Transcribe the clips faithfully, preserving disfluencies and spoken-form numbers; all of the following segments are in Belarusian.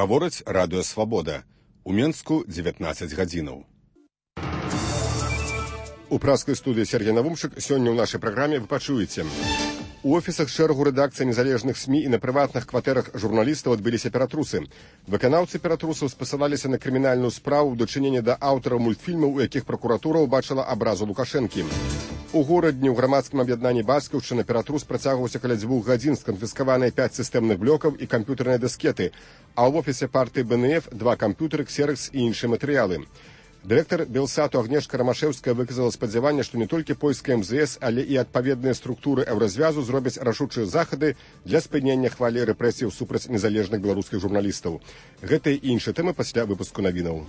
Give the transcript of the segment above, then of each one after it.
Гаворыць радыё «Свабода». У Менску дзевятнаццаць гадзінаў. У праскай студыі Сергей Навумчык сёння ў нашай праграме вы пачуеце. У офісах шэрагу рэдакцый незалежных СМІ і на прыватных кватэрах журналістаў адбыліся ператруссы. Выканаўцы ператрусаў спасылаліся на крымінальную справу ў дачыненні да аўтараў мультфільмаў, у якіх пракуратура ўбачыла абразу Лукашэнкі. У горадні ў грамадскім аб'яднанні «Бацькаўшчына» ператрус працягваўся каля дзвюх гадзін, сканфіскаваныя пяць сістэмных блокаў і камп'ютэрныя дыскеты, а ў офісе партыі Бэ Эн Эф два камп'ютары, ксеракс і іншыя матэрыялы. Дырэктар Белсату Агнешка Рамашэўская выказала спадзяванне, што не толькі польская эм зэ эс, але і адпаведныя структуры еўразвязу зробяць рашучыя захады для спынення хвалі рэпрэсіяў супраць незалежных беларускіх журналістаў. Гэта і іншыя тэмы пасля выпуску навінаў.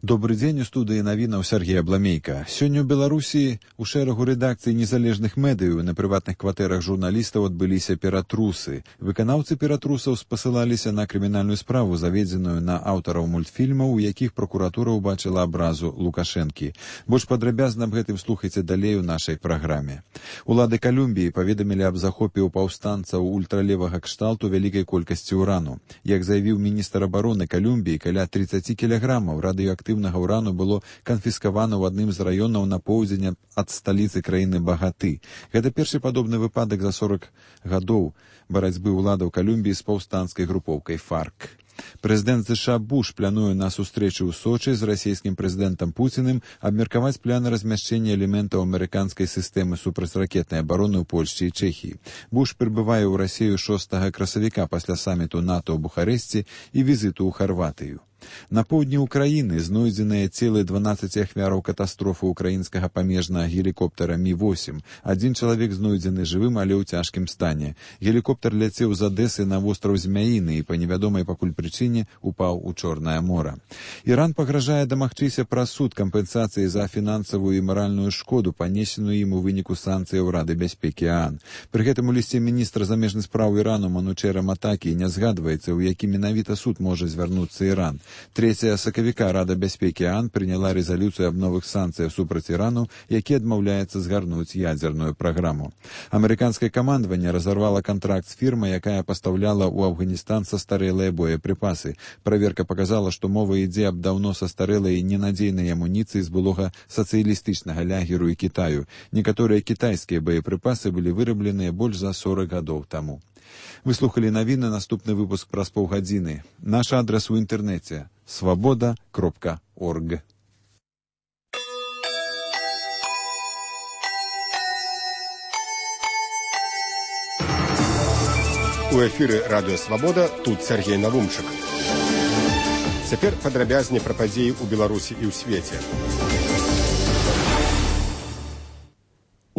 Добры дзень, у студыі навінаў Сергея Бламейка. Сёння ў Беларусі у шэрагу рэдакцый незалежных медыяў на прыватных кватэрах журналістаў адбыліся ператрусы. Выканаўцы ператрусаў спасылаліся на крымінальную справу, заведзеную на аўтараў мультфільмаў, у якіх пракуратура ўбачыла абразу Лукашэнкі. Больш падрабязна аб гэтым слухайце далей у нашай праграме. Улады Калумбіі паведамілі аб захопе ў паўстанцаў ультралевага кшталту вялікай колькасці ўрану. Як заявіў міністр абароны Калумбіі, каля тридцать кілаграмаў радыёактыўнага урану было канфіскавана ў адным з раёнаў на поўдзень ад сталіцы краіны Багаты. Гэта першы падобны выпадак за сорок гадоў барацьбы ўладаў Калумбіі з паўстанцкай групоўкай ФАРК. Прэзідэнт ЗША Буш плануе на сустрэчу ў Сочы з расійскім прэзідэнтам Пуціным абмеркаваць планы размяшчэння элементаў амерыканскай сістэмы супрацьракетнай абароны ў Польшчы і Чэхіі. Буш прыбывае ў Расію шостага красавіка пасля саміту НАТО ў Бухарэсці і візіту ў Харватыю. На поўдні ўкраіны знойдзеныя целы дванаццаці ахвяраў катастрофы ўкраінскага памежнага гелікоптера Мі восем. Адзін чалавек знойдзены жывым, але ў цяжкім стане. Гелікоптер ляцеў з Адэсы на востраў Змяіны і па невядомай пакуль прычыне упаў у Чорнае мора. Іран пагражае дамагчыся праз суд кампенсацыі за фінансавую і маральную шкоду, панесеную ім у выніку санкцыяў Рады бяспекі ААН. Пры гэтым у лісце міністра замежных спраў Ірану Манучэра Матакі не згадваецца, у які менавіта суд можа звярнуцца Іран. трэцяга сакавіка Рада бяспекі ААН прыняла рэзалюцыю аб новых санкцыях супраць Ірану, які адмаўляецца згарнуць ядзерную праграму. Амерыканскае камандаванне разарвала кантракт з фірмай, якая пастаўляла ў Афганістан састарэлыя боепрыпасы. Праверка паказала, што мова ідзе аб даўно састарэлай і ненадзейнай амуніцыі з былога сацыялістычнага лягеру і Кітаю. Некаторыя кітайскія боепрыпасы былі вырабленыя больш за сорок гадоў таму. Вы слухали навіны, наступны выпуск праз паўгадзіны. Наш адрес у інтэрнэце свабода кропка орг. У эфіры радыё «Свабода», тут Сергей Навумчык. Цяпер падрабязней пра падзеі ў Беларусі і ў свеце.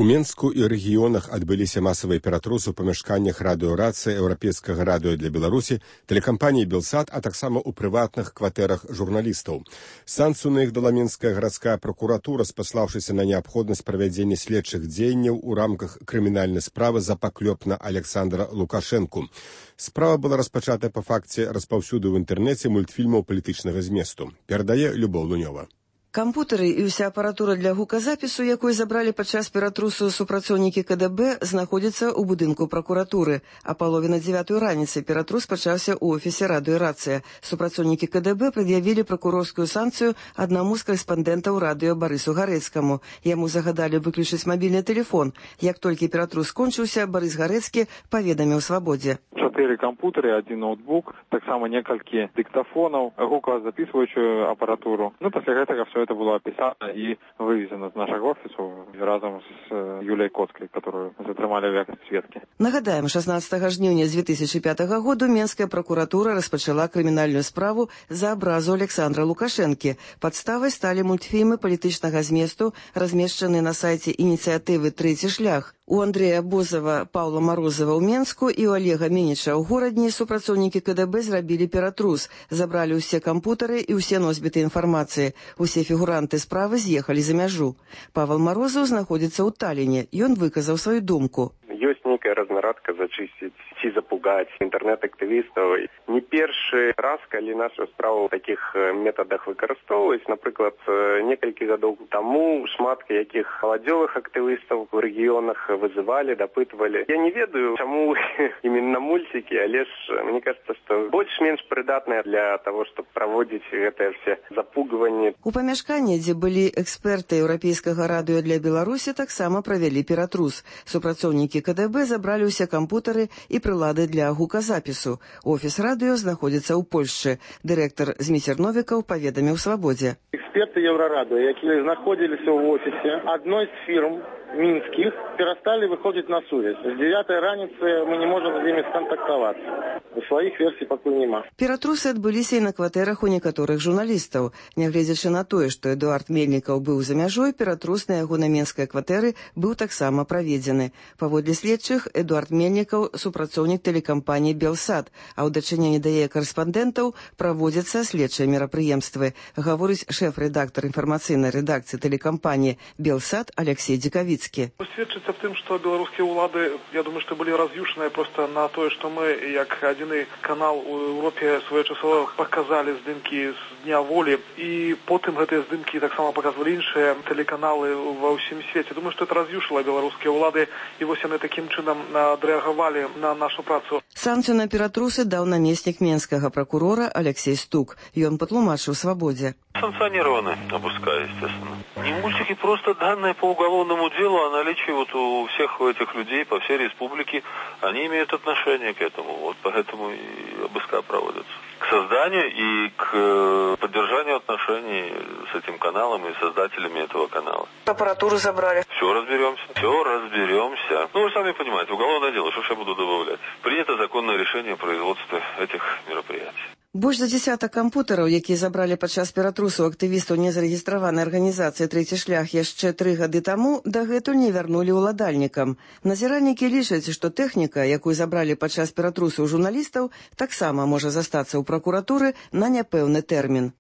У Менску і рэгіёнах адбыліся масавыя ператрусы ў памяшканнях радыёрацыі еўрапейскага радыё для Беларусі, тэлекампаніі «Белсат», а таксама ў прыватных кватэрах журналістаў. Санкцыю на іх дала Менская гарадская пракуратура, спаслаўшыся на неабходнасць правядзення следчых дзеянняў у рамках крымінальнай справы за паклёп на Александра Лукашэнку. Справа была распачатая па факце распаўсюду ў інтэрнэце мультфільмаў палітычнага зместу. Перадае Любоў Лунёва. Кампутары і ўся апаратура для гуказапісу, якую забралі падчас ператрусу супрацоўнікі ка дэ бэ, знаходзяцца ў будынку пракуратуры. А палове на дзевятую раніцы ператрус пачаўся ў офісе радыёрацыя. Супрацоўнікі ка дэ бэ прад'явілі пракурорскую санкцыю аднаму з карэспандэнтаў радыё Барысу Гарэцкаму. Яму загадалі выключыць мабільны тэлефон. Як толькі ператрус скончыўся, Барыс Гарэцкі паведаміў «Свабодзе». Чатыры кампутары, адзін ноутбук, таксама некалькі дыктафонаў, гуказапісваючую апаратуру. Ну, пасля гэтага все это было описано и вывезено из нашего офиса разом с Юлией Коцкой, которую затрымали в якости сведки. Нагадаем, шестнадцатага жніўня две тысячи пятага году Менская прокуратура распачала крымінальную справу за абразу Александра Лукашэнкі. Падставай сталі мультфільмы палітычнага зместу, размешчаныя на сайце ініцыятывы «Трэці шлях». У Андрэя Бозава, Паўла Марозава ў Менску і ў Олега Мініча ў горадні супрацоўнікі ка дэ бэ зрабілі ператрус, забралі ўсе кампутары і ўсе носьбіты інфармацыі. Усе фігуранты справы з'ехалі за мяжу. Павел Марозаў знаходзіцца ў Таліне. Ён выказаў сваю думку. Ёсць нейкая разна радка зачысціць ці запугаць інтэрнэт-актывістаў. Не першы раз, калі нашу справу ў такіх метадах выкарыстоўваюць, напрыклад, некалькі гадоў таму шмат якіх маладзёвых актывістаў у рэгіёнах вызывалі, дапытвалі. Я не ведаю, чаму именно мультики, але ж мне кажется, што больш-менш прыдатныя для того, чтобы праводзіць гэтыя все запугванні. У памяшканні, дзе былі эксперты еўрапейскага радыё для Беларусі, таксама правялі ператрус. Супрацоўнікі ка дэ бэ забралі ўсе кампутары і прылады для гуказапісу. Офіс радыё знаходзіцца ў Польшчы. Дырэктар Зміцер Новікаў паведаміў Свабодзе. Эксперты Еврорадио, якія знаходзіліся ў офісе адной з фірм мінскіх, перасталі выходзіць на сувязь. З дзевятай раніцы мы не можам з імі скантактавацца. У сваіх версій пакуль няма. Ператрусы адбыліся і на кватэрах у некаторых журналістаў. Нягледзячы на тое, што Эдуард Мельнікаў быў за мяжой, ператрус на яго на менскай кватэры быў таксама праведзены. Паводле следчых, Эдуард Мельнікаў супрацоўнік тэлекампаніі «Белсат», а ў дачыненні да яе карэспандэнтаў праводзяцца следчыя мерапрыемствы, гаворыць шэф-рэдактар інфармацыйнай рэдакцыі тэлекампаніі «Белсат» Алексей Дзікавіцкі. Сведчыцца в тым, што беларускія ўлады, я думаю, што былі раз'юшаныя проста на тое, што мы, як адзіны канал у Еўропе, своечасова паказалі здымкі з Дня волі, і потым гэтыя здымкі таксама паказвалі іншыя тэлеканалы ва ўсім свеце. Думаю, што это раз'юшала беларускія ўлады, і вось яны такім чынам адрэагавалі на нашу працу. Санкцыю на ператрусы даў намеснік менскага пракурора Алексей Стук. Ён патлумачыў Свабодзе. Санкционированный, опускаю, естественно. И мультики просто данные по уголовному делу о наличии вот у всех этих людей по всей республике, они имеют отношение к этому. Вот поэтому и обыска проводятся. К созданию и к поддержанию отношений с этим каналом и создателями этого канала. Аппаратуру забрали. Все разберемся. Все разберемся. Ну, вы сами понимаете, уголовное дело, что ж я буду добавлять. Принято законное решение о производстве этих мероприятий. Больш за дзесятак кампутараў, якія забралі падчас ператрусу актывістаў незарэгістраванай арганізацыі «Трэці шлях» яшчэ тры гады таму, дагэтуль не вярнулі ўладальнікам. Назіральнікі лічаць, што тэхніка, якую забралі падчас ператрусу ў журналістаў, таксама можа застацца ў пракуратуры на няпэўны тэрмін.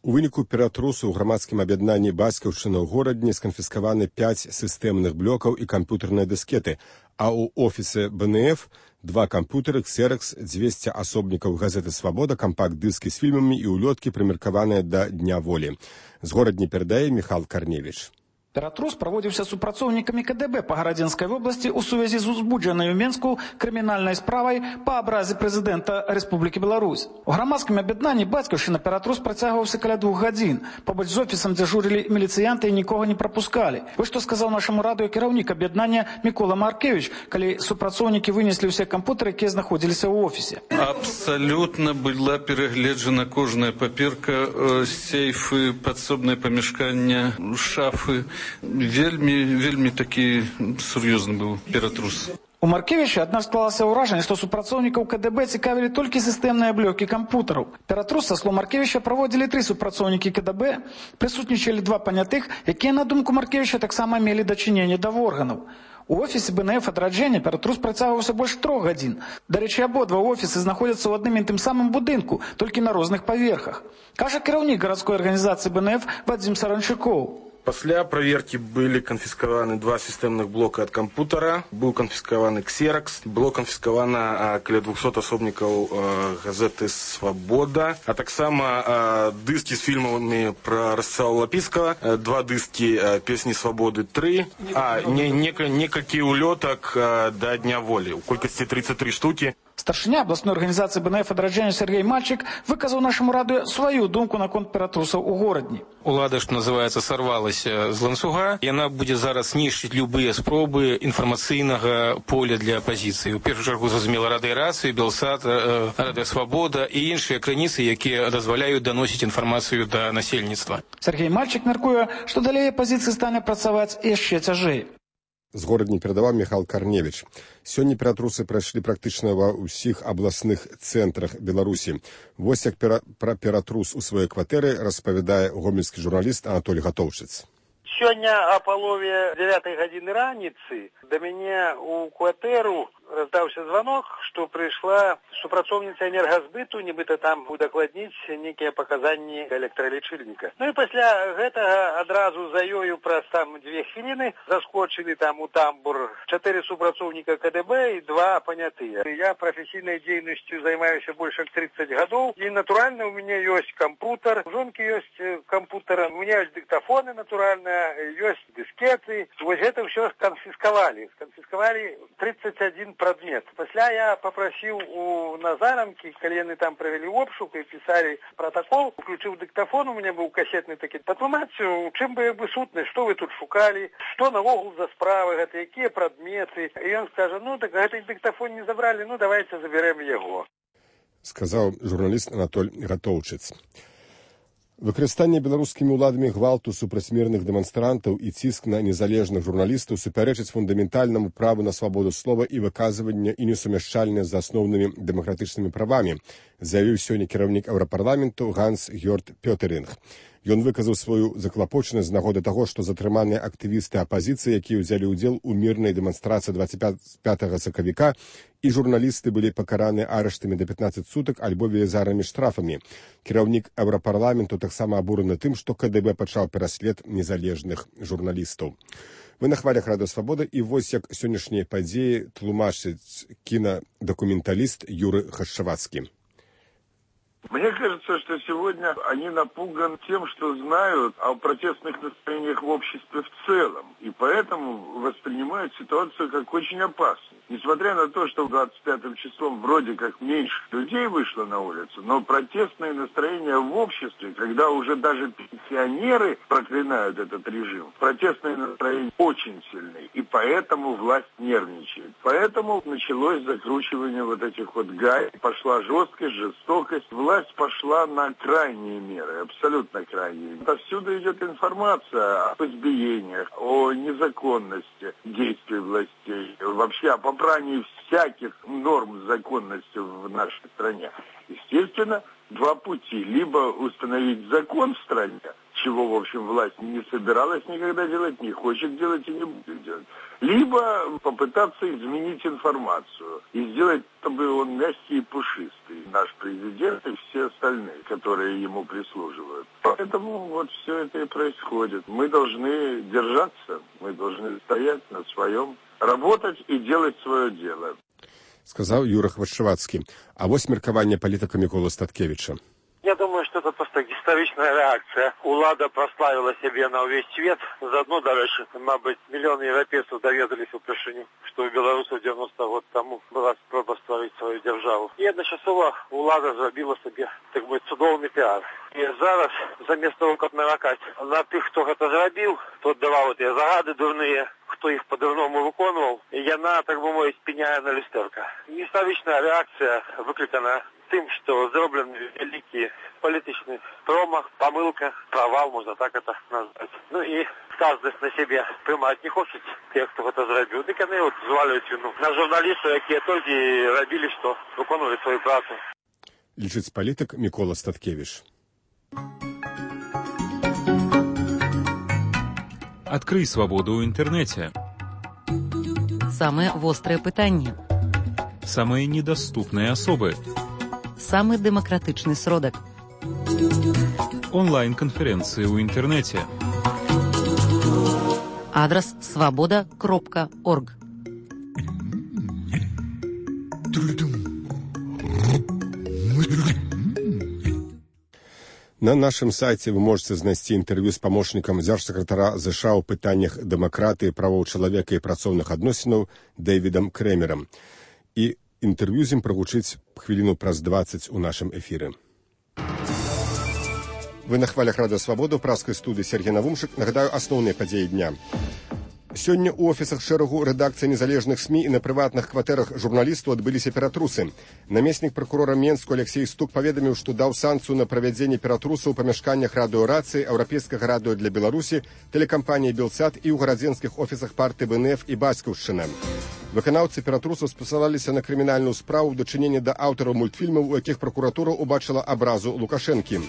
У выніку ператрусу ў грамадскім аб'яднанні «Бацькаўшчына» ў горадні сканфіскаваны пяць сістэмных блокаў і камп'ютарныя дыскеты, а ў офісе бэ эн эф два камп'ютары, ксеракс, дзвесце асобнікаў газеты «Свабода», кампакт-дыскі з фільмамі і ўлёткі, прымеркаваныя да Дня волі. З горадні перадае Міхал Карневіч. Ператрус праводзіўся супрацоўнікамі ка дэ бэ па Гарадзенскай вобласці ў сувязі з узбуджанай у Менску крымінальнай справай па абразе прэзідэнта Рэспублікі Беларусь. У грамадскім аб'яднанні «Бацькаўшчына» ператрус працягваўся каля двух гадзін. Побач з офісам дзяжурылі міліцыянты і нікога не прапускалі. Вось што сказаў нашаму радыё кіраўнік аб'яднання Мікола Маркевіч, калі супрацоўнікі вынеслі ўсе кампутары, якія знаходзіліся ў офісе. Абсалютна была перагледжана кожная паперка, сейфы, падсобнае памяшканне, шафы. Вельмі, вельмі такі сур'ёзны быў ператрус. У Маркевіча аднак склалася ўражанне, што супрацоўнікаў ка дэ бэ цікавілі толькі сістэмныя блокі кампутараў. Ператрус, са слоў Маркевіча, праводзілі тры супрацоўнікі ка дэ бэ, прысутнічалі два панятых, якія, на думку Маркевіча, таксама мелі дачыненне да органаў. У офісе бэ эн эф адраджэння ператрус працягваўся больш трох гадзін. Дарэчы, абодва офісы знаходзяцца ў адным і тым самым будынку, толькі на розных паверхах. Кажа кіраўнік гарадской арганізацыі бэ эн эф Вадзім Саранчукоў. Пасля праверкі былі канфіскаваны два сістэмных блока ад кампутара, быў канфіскаваны ксеракс, было канфіскавана каля двухсот асобнікаў газеты «Свабода», а таксама дыскі з фільмамі пра Расцалава Лапіцкага, два дыскі «Песні свабоды тры», а не, не, некалькі ўлётак да Дня волі, у колькасці тридцать три штукі. Старшыня абласной арганізацыі бэ эн эф адраджэння Сергей Мальчик выказаў нашаму радыё сваю думку наконт ператрусаў у горадні. Улада, што называецца, сарвалася з ланцуга. Яна будзе зараз знішчыць любыя спробы інфармацыйнага поля для апазіцыі. У першую чаргу, зразумела, радыёрацыю, «Белсат», радыё «Свабода» і іншыя крыніцы, якія дазваляюць даносіць інфармацыю да насельніцтва. Сергей Мальчик мяркуе, што далей апазіцыі стане працаваць яшчэ цяжэй. З горадні перадаваў Міхал Карневіч. Сёння ператрусы прайшлі практычна ва ўсіх абласных цэнтрах Беларусі. Вось як пера, пра ператрус у сваёй кватэры распавядае гомельскі журналіст Анатолій Гатоўшчыц. Сёння о палове дзевятай гадзіны раніцы да мяне ў кватэру раздаўся званок, што прыйшла супрацоўніца энергазбыту, нібыта там удакладніць нейкія паказанні электралічыльніка. Ну і пасля гэтага адразу за ёю праз там дзве хвіліны заскочылі там у тамбур чатыры супрацоўніка ка дэ бэ і два панятыя. Я прафесійнай дзейнасцю займаюся больш як тридцать гадоў, і натуральна у мяне ёсць кампутар, у жонкі ёсць кампутар, у мяне ёсць дыктафоны, натуральна, ёсць дыскеты. Вось гэта ўсё сканфіскавалі. Сканфіскавалі тридцать один прадмет. Пасля я папрасіў у Назарамкі, калі яны там правялі обшук і пісалі протакол, уключыў дыктафон, у мяне быў касетны такі, патлумачыў, у чым бы бы сутнасць, што вы тут шукалі, што навогул за справы гэта, якія прадметы. І ён скажа, ну так гэты дыктафон не забралі, ну давайте заберем яго. Сказаў журналіст Анатоль Гатоўчыц. Выкарыстанне беларускімі ўладамі гвалту супраць мірных дэманстрантаў і ціск на незалежных журналістаў супярэчыць фундаментальнаму праву на свабоду слова і выказвання і несумяшчальныя з асноўнымі дэмакратычнымі правамі, заявіў сёння кіраўнік Еўрапарламенту Ганс Гёрд Пётеринг. Ён выказаў сваю заклапочанасць з нагоды таго, што затрыманыя актывісты апазіцыі, якія ўзялі ўдзел у мірнай дэманстрацыі двадцать пятага сакавіка, і журналісты былі пакараны арыштамі да пятнадцати сутак альбо велізарнымі штрафамі. Кіраўнік Еўрапарламенту таксама абураны тым, што ка дэ бэ пачаў пераслед незалежных журналістаў. Вы на хвалях Радыё Свабода, і вось як сённяшнія падзеі тлумачыць кінадакументаліст Юры Хашчавацкі. Мне кажется, что сегодня они напуганы тем, что знают о протестных настроениях в обществе в целом, и поэтому воспринимают ситуацию как очень опасную. Несмотря на то, что двадцать пятым числом вроде как меньше людей вышло на улицу, но протестные настроения в обществе, когда уже даже пенсионеры проклинают этот режим, протестные настроения очень сильны, и поэтому власть нервничает. Поэтому началось закручивание вот этих вот гаек, пошла жесткость, жестокость, власть пошла на крайние меры, абсолютно крайние. Отсюда идет информация об избиениях, о незаконности действий властей, вообще о попрании всяких норм законности в нашей стране. Естественно, два пути. Либо установить закон в стране, чего, в общем, власть не собиралась никогда делать, не хочет делать и не будет делать. Либо попытаться изменить информацию и сделать, чтобы он мягкий и пушистый, наш президент и все остальные, которые ему прислуживают. Поэтому вот все это и происходит. Мы должны держаться, мы должны стоять на своем, работать и делать свое дело. Сказал Юра Хвашчавацкі. А вось меркаванне палітыка Міколы Статкевіча. Я думаю, что это просто гістарычная реакция. Улада прославила себе на увесь свет. Заодно, дарэчы, мабыць, миллионы европейцев доведались упершыню, что у белорусов девяносто год тому была спроба стварыць свою державу. И одночасова улада зрабіла себе, так бы, цудоўны пиар. И зараз, замест того, как наракаць на тых, хто гэта зрабіў, хто даваў гэтыя загады дурныя, хто іх по-дурному выконваў, яна, так бы мовіць, пеняе на люстэрка. Гістарычная реакция выкликана тем, что сделан великий политический промах, помылка, провал, можно так это назвать. Ну и каждый на себе приймать не хочет тех, кто это зробил. Так они вот зваливают вину на журналистов, которые только и робили, что выполняли свою працу. Лічыць палітык Мікола Статкевіч. Открый свободу в интернете. Самые острые пытания. Самые недоступные особы. Самый демократичный сродок. Онлайн-конференции в интернете. Адрес свобода кропка орг. На нашым сайце вы можете знайсці інтэрв'ю з памочнікам дзяржсакратара ЗША ў пытаннях дэмакратыі, правоў чалавека і працоўных адносінаў Дэвідам Крэмерам. І інтэрв'ю з ім прагучыць хвіліну праз дваццаць у нашым эфіры. Вы на хвалях Радыё Свабода ў праскай студыі Сергей Навумшык. Нагадаю асноўныя падзеі дня. Сёння ў офісах шэрагу рэдакцый незалежных СМІ і на прыватных кватэрах журналістаў адбыліся ператруссы. Намеснік пракурора Менску Алексей Стук паведаміў, што даў санкцыю на правядзенне ператрусаў у памяшканнях радыёрацыі, еўрапейскага радыё для Беларусі, тэлекампаніі «Белсат» і ў гарадзенскіх офісах партыі БНФ і Бацькаўшчына. Выканаўцы ператрусаў спасылаліся на крымінальную справу ў дачыненні да аўтараў мультфільмаў, у якіх пракуратура ўбачыла абразу Лукашэнкі.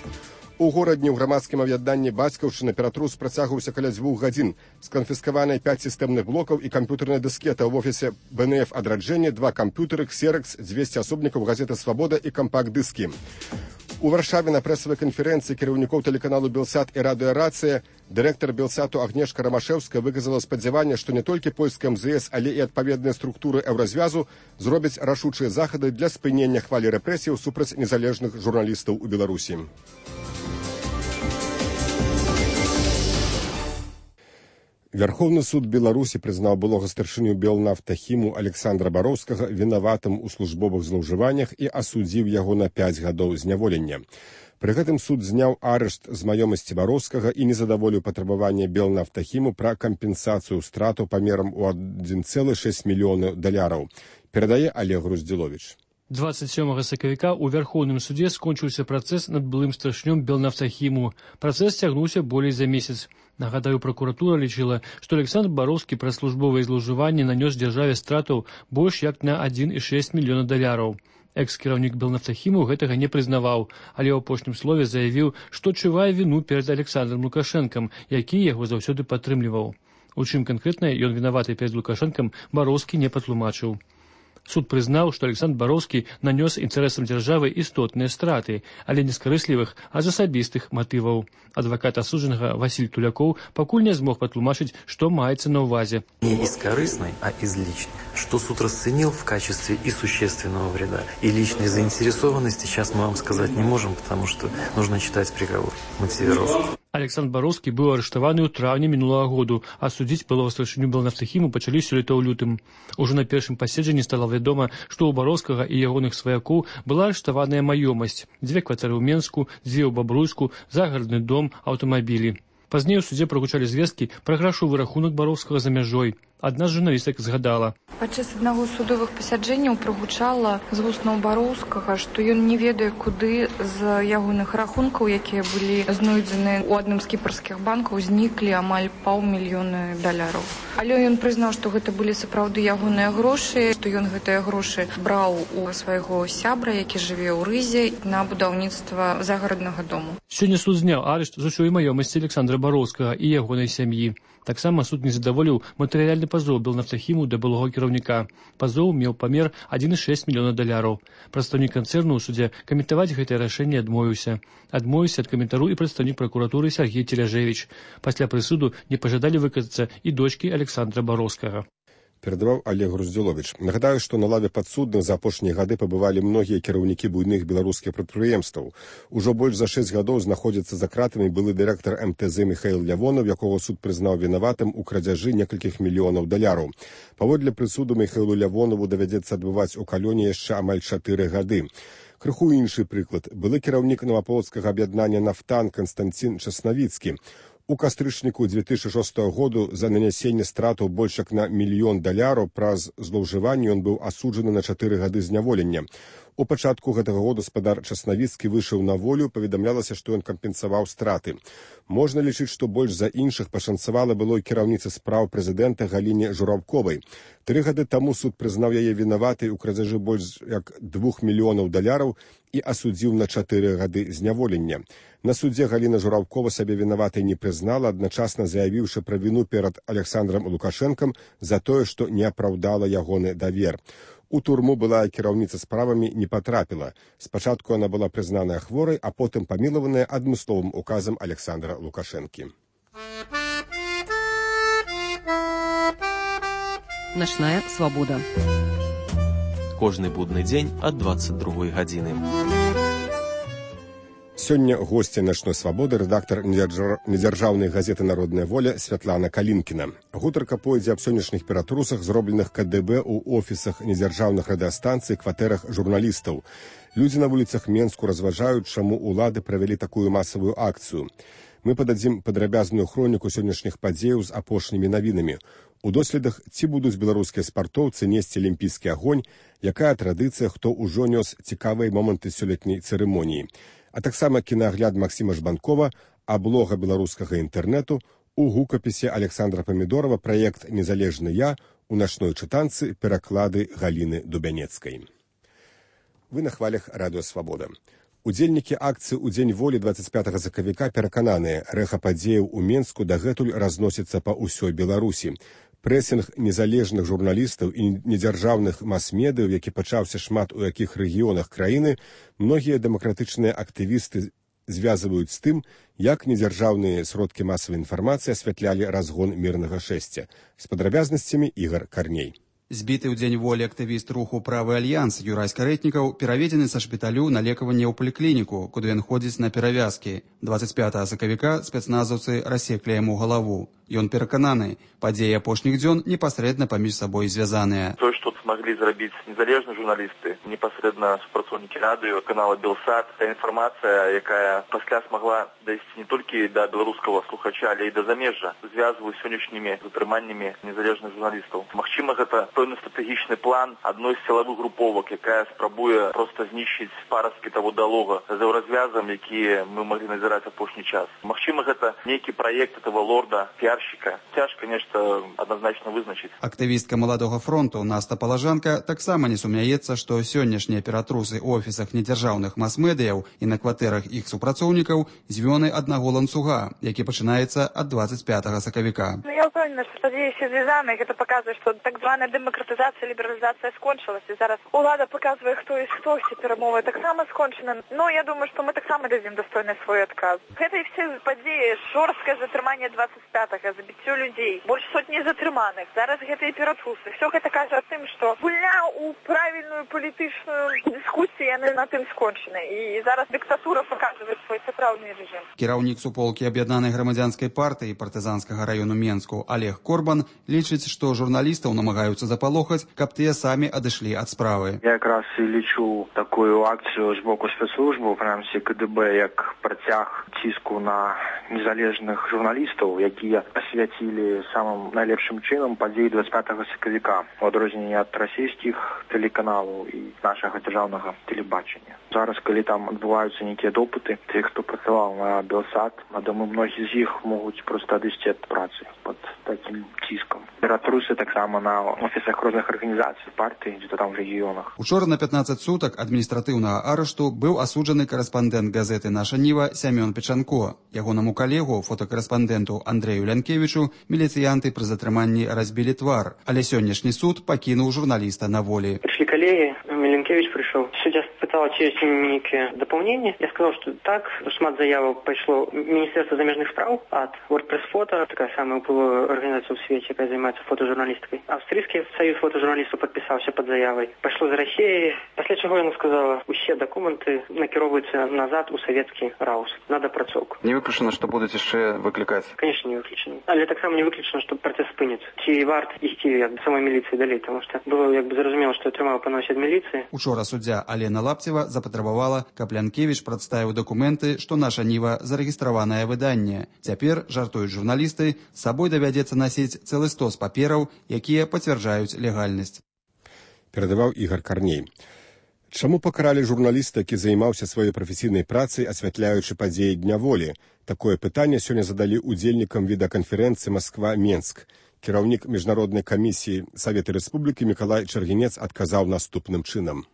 У горадні ў грамадскім аб'яднанні бацькаўшчына ператрус працягваўся каля дзвюх гадзін. Сканфіскаваныя пяць сістэмных блокаў і камп'ютарная дыскета ў офісе бэ эн эф адраджэння, два камп'ютары, ксеракс, дзвесце асобнікаў газеты «Свабода» і кампакт-дыскі. У Варшаве на прэсавай канферэнцыі кіраўнікоў тэлеканалу «Белсат» і радыёрацыя дырэктар «Белсату» Агнешка Рамашэўская выказала спадзяванне, што не толькі польская эм зэ эс, але і адпаведныя структуры еўразвязу зробяць рашучыя захады для спынення хвалі рэпрэсіяў супраць незалежных журналістаў у Беларусі. Верховны суд Беларусі прызнаў былога старшыню Белнафтахіму Александра Бароўскага вінаватым у службовых злоўжываннях і асудзіў яго на пяць гадоў зняволення. Пры гэтым суд зняў арышт з маёмасці Бароўскага і не задаволіў патрабаванне Белнафтахіму пра кампенсацыю стратаў памерам у адзін цэлых шэсць мільёнаў даляраў. Перадае Олег Груздзіловіч. двадцать сёмага сакавіка ў Вярхоўным судзе скончыўся працэс над былым старшынём Белнафтахіму. Працэс цягнуўся болей за месяц. Нагадаю, прокуратура лічыла, што Александр Бароўскі праз службовыя злоўжыванні нанёс дзяржаве стратаў больш як на адзін цэлых шэсць мільёна даляраў. Экс-кіраўнік Белнафтахіму гэтага не прызнаваў, але ў апошнім слове заявіў, што адчувае віну перад Александром Лукашэнкам, які яго заўсёды падтрымліваў. У чым канкрэтна ён вінаваты перад Лукашэнкам, Бароўскі не патлумачыў. Суд прызнаў, што Александр Бароўскі нанёс інтарэсам дзяржавы істотныя страты, але не з карыслівых, а з асабістых матываў. Адвакат асуджанага Васіль Тулякоў пакуль не змог патлумачыць, што маецца на ўвазе. Не из корыстной, а из личной. Что суд расценил в качестве и существенного вреда, и личной заинтересованности, сейчас мы вам сказать не можем, потому что нужно читать приговор. Мы все взрослые. Александр Бароўскі быў арыштаваны ў траўні мінулага году, а судзіць былога старшыню Белнафтахіму пачалі сёлета ў лютым. Ужо на першым паседжанні стала вядома, што ў Бароўскага і ягоных сваякоў была арыштаваная маёмасць, дзве кватэры ў Менску, дзве ў Бабруйску, загарадны дом, аўтамабілі. Пазней у судзе прагучалі звесткі пра грашовы рахунак Бароўскага за мяжой. Адна з журналістак згадала. Падчас аднаго з судовых пасяджэнняў прагучала з вуснаў Бароўскага, што ён не ведае, куды з ягоных рахункаў, якія былі знойдзены ў адным з кіпрскіх банкаў, зніклі амаль паўмільёна даляраў. Але ён прызнаў, што гэта былі сапраўды ягоныя грошы, што ён гэтыя грошы браў у свайго сябра, які жыве ў Рызе, на будаўніцтва загараднага дому. Сёння суд зняў арышт з усёй маёмасці Александра Бароўскага і ягонай сям'і. Таксама суд не задаволіў матэрыяльны пазоў Белнафтахіму да былога кіраўніка. Пазоў меў памер адзін цэлых шэсць мільёна даляраў. Прадстаўнік канцэрну ў судзе каментаваць гэтае рашэнне адмовіўся. Адмовіўся ад каментару і прадстаўнік пракуратуры Сергей Теляжевіч. Пасля прысуду не пажадалі выказацца і дочкі Александра Бароўскага. Перадаваў Олег Груздзіловіч. Нагадаю, што на лаве падсудных за апошнія гады пабывалі многія кіраўнікі буйных беларускіх прадпрыемстваў. Ужо больш за шэсць гадоў знаходзіцца за кратамі былы дырэктар эм тэ зэ Міхаіл Лявонаў, якога суд прызнаў вінаватым у крадзяжы некалькіх мільёнаў даляраў. Паводле прысуду Міхаілу Лявонаву давядзецца адбываць у калоне яшчэ амаль чатыры гады. Крыху іншы прыклад. Былы кіраўнік Новаполацкага аб'яднання «Нафтан» Канстанцін Часнавіцкі. У кастрычніку дзве тысячы шостага году за нанясенне стратаў больш як на мільён даляраў праз злоўжыванне ён быў асуджаны на чатыры гады зняволення. У пачатку гэтага года спадар Часнавіцкі выйшаў на волю, паведамлялася, што ён кампенсаваў страты. Можна лічыць, што больш за іншых пашанцавала былой кіраўніцы спраў прэзідэнта Галіне Жураўковай. Тры гады таму суд прызнаў яе вінаватай у крадзяжы больш як двух мільёнаў даляраў і асудзіў на чатыры гады зняволення. На судзе Галіна Жураўкова сабе вінаватай не прызнала, адначасна заявіўшы пра віну перад Александром Лукашэнкам за тое, што не апраўдала ягоны давер. У турму былая кіраўніца справамі не патрапіла. Спачатку яна была прызнаная хворай, а потым памілаваная адмысловым указам Александра Лукашэнкі. Начная свабода. Кожны будны дзень ад дваццаць другой гадзіны. Сёння госці начной свабоды рэдактар недзяржаўнай газеты «Народная воля» Святлана Калінкіна. Гутарка пойдзе аб сённяшніх ператрусах, зробленых ка дэ бэ ў офісах недзяржаўных радыёстанцый, кватэрах журналістаў. Людзі на вуліцах Менску разважаюць, чаму ўлады правялі такую масавую акцыю. Мы пададзім падрабязную хроніку сённяшніх падзеяў з апошнімі навінамі. У доследах, ці будуць беларускія спартоўцы несці алімпійскі агонь, якая традыцыя, хто ўжо нёс цікавыя моманты сёлетняй цырымоніі. А таксама кінаагляд Максіма Жбанкова, аблога беларускага інтэрнэту, у гукапісе Александра Памідорова праект «Незалежны я» у начной чытанцы пераклады Галіны Дубянецкай. Вы на хвалях радыё «Свабода». Удзельнікі акцыі ў дзень волі дваццаць пятага сакавіка перакананыя, рэха падзеяў у Менску дагэтуль разносіцца па ўсёй Беларусі. Прэсінг незалежных журналістаў і недзяржаўных мас-медыяў, які пачаўся шмат у якіх рэгіёнах краіны, многія дэмакратычныя актывісты звязваюць з тым, як недзяржаўныя сродкі масавай інфармацыі асвятлялі разгон мірнага шэсця. З падрабязнасцямі Ігар Карней. Збіты ў дзень волі актывіст руху «Правы альянс» Юрай Скарэтнікаў пераведзены са шпіталю на лекаванне ў паліклініку, куды ён ходзіць на перавязкі. дваццаць пятага сакавіка спецназаўцы рассеклі яму галаву. Ён перакананы, падзеі апошніх дзён непасрэдна паміж сабой звязаныя. То, што смогли зрабіць незалежныя журналісты, непасрэдна супрацоўнікі радыё, канала Белсат, та інфармацыя, якая пасля смогла дайсці не толькі да беларускага слухача, але і да замежжа, звязваюць сённяшнімі затрыманнямі незалежных журналістаў. Магчыма, гэта пэўны стратэгічны план адной з сілавых груповак, якая спрабуе проста знішчыць парасткі таго дыалога за развязам, які мы маглі назіраць апошні час. Магчыма, гэта нейкі праект этого лорда, піарщика. Цяжка нешта адназначна вызначыць. Актывістка Маладога фронту Наста Палажанка таксама не сумняецца, што сённяшнія ператрусы ў офісах недзяржаўных мас-медыяў і на кватэрах іх супрацоўнікаў звёны аднаго ланцуга, які пачынаецца ад дваццаць пятага сакавіка. Я ўпэўнена, што падзеі ўсе звязаны, гэта паказвае, што так званая дэмакратызацыя, лібералізацыя скончылася. Зараз улада паказвае, хто і хто, усе перамовы таксама скончаны. Но я думаю, што мы таксама дадзім дастойны свой адказ. Гэта і все падзеі, жорсткае затрыманне дваццаць пятага, забіццё людзей, больш сотні затрыманых. Зараз гэта і ператрусы. Все гэта кажа о тым, што гульня ў правільную палітычную дыскусію яны на тым скончаны. І зараз дыктатура паказвае свой сапраўдны рэжым. Кіраўнік суполкі аб'яднанай грамадзянскай партыі партызанскага раёну Менску Олег Корбан лічыць, што журналістаў намагаюцца запалохаць, каб тыя самі адышлі ад справы. Я якраз і лічу такую акцыю з боку спецслужбаў, прынамсі КДБ, як працяг ціску на незалежных журналістаў, якія асвяцілі самым найлепшым чынам падзеі дваццаць пятага сакавіка, у адрозненні ад расійскіх тэлеканалаў і нашага дзяржаўнага тэлебачання. Зараз, калі там адбываюцца нейкія допыты, тых, хто працаваў на Белсат, думаю, многія з іх могуць проста адысці ад працы пад такім ціскам. Ператрусы таксама на офісах розных арганізацый партыі, дзе-то там в рэгіёнах. Учора на пятнаццаць сутак адміністратыўнага арышту быў асуджаны карэспандэнт газеты «Наша Ніва» Сямён Печанко. Ягонаму калегу, фотакарэспандэнту Андрэю Лянкевічу, міліцыянты пры затрыманні разбілі твар, але сённяшні суд пакінуў журналіста на волі. Пришли коллеги, Миленкевич пришел. Судья спытал, чи есть некие дополнения. Я сказал, что так. Шмат заявок пришло Министерство замежных справ от WordPress Фото, такая самая уплывая организация в свете, которая занимается фотожурналистикой. Австрийский союз фотожурналистов подписался под заявой. Пошло з Росії. Після чого я сказала, усі документи накеровуються назад у советский РАУС. Надо працовку. Не виключено, що будуть ще викликати? Конечно, не виключено. Але так само не виключено, що процес спиниться. Чи варт йти як самої міліції далі, тому що було якби зрозуміло, що тримав поносить міліції. Учора суддзя Алена Лапцева запатрабавала, каб Лянкевіч прадставіў дакументы, што наша Ніва зарэгістраванае выданне. Цяпер, жартуюць журналісты, з сабой давядзецца насіць цэлы стос папераў, якія пацвярджаюць легальнасць. Перадаваў Ігар Карней. Чаму пакаралі журналіста, які займаўся сваёй прафесійнай працай, асвятляючы падзеі Дня волі? Такое пытанне сёння задалі удзельнікам відэаканферэнцыі «Москва-Менск». Кіраўнік міжнароднай камісіі Савета Рэспублікі Мікалай Чаргінец адказаў наступным чынам.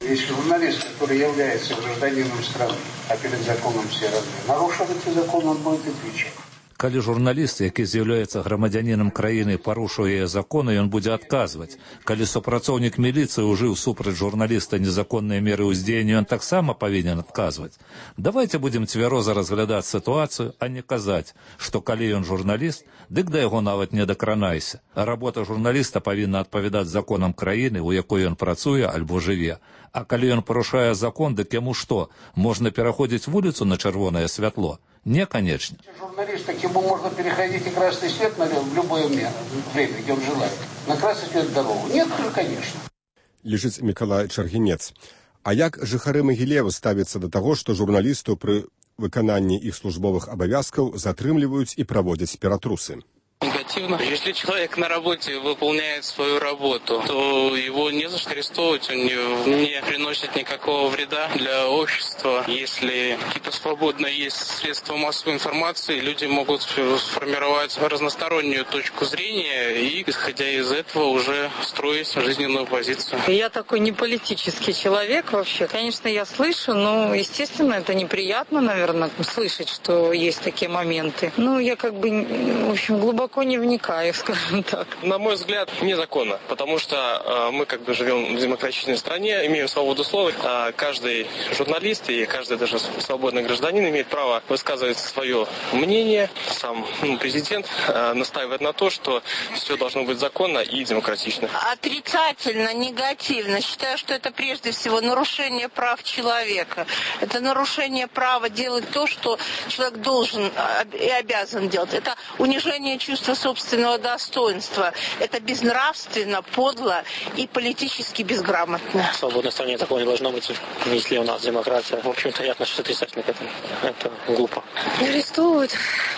Если журналист, который является гражданином страны, а перед законом все равны, нарушил этот закон, он будет отвечать. Калі журналіст, які з'яўляецца грамадзянінам краіны, парушуе законы, ён будзе адказваць. Калі супрацоўнік міліцыі ўжыў супраць журналіста незаконныя меры ўздзеяння, ён таксама павінен адказваць. Давайте будзем цвяроза разглядаць сітуацыю, а не казаць, што калі ён журналіст, дык да яго нават не дакранайся. Работа журналіста павінна адпавядаць законам краіны, у якой ён працуе альбо жыве. А калі ён парушае закон, дык яму што, можна пераходзіць вуліцу на чырвонае святло? Не, конечно. Журналист, так ему можно переходить и красный свет на в любое время, где он желает. На красный свет дорогу. Нет, конечно. Лежит Миколай Чаргінец. А як жыхары Магілева ставяцца да таго, што журналістаў пры выкананні іх службовых абавязкаў затрымліваюць і праводзяць ператрусы? Негативно. Если человек на работе выполняет свою работу, то его не за что арестовывать, он не, не приносит никакого вреда для общества. Если какие-то свободные есть средства массовой информации, люди могут сформировать разностороннюю точку зрения и, исходя из этого, уже строить жизненную позицию. Я такой не политический человек вообще. Конечно, я слышу, но, естественно, это неприятно, наверное, слышать, что есть такие моменты. Ну, я как бы, в общем, глубоко не вникаю, скажем так. На мой взгляд, незаконно, потому что э, мы как бы живем в демократичной стране, имеем свободу слова. Э, каждый журналист и каждый даже свободный гражданин имеет право высказывать свое мнение. Сам ну, президент э, настаивает на то, что все должно быть законно и демократично. Отрицательно, негативно. Считаю, что это прежде всего нарушение прав человека. Это нарушение права делать то, что человек должен и обязан делать. Это унижение чувства собственного достоинства. Это безнравственно, подло и политически безграмотно. В свободной стране такого не должно быть, если у нас демократия. В общем-то, я отношусь отрицательно к этому. Это глупо. Арестовывать?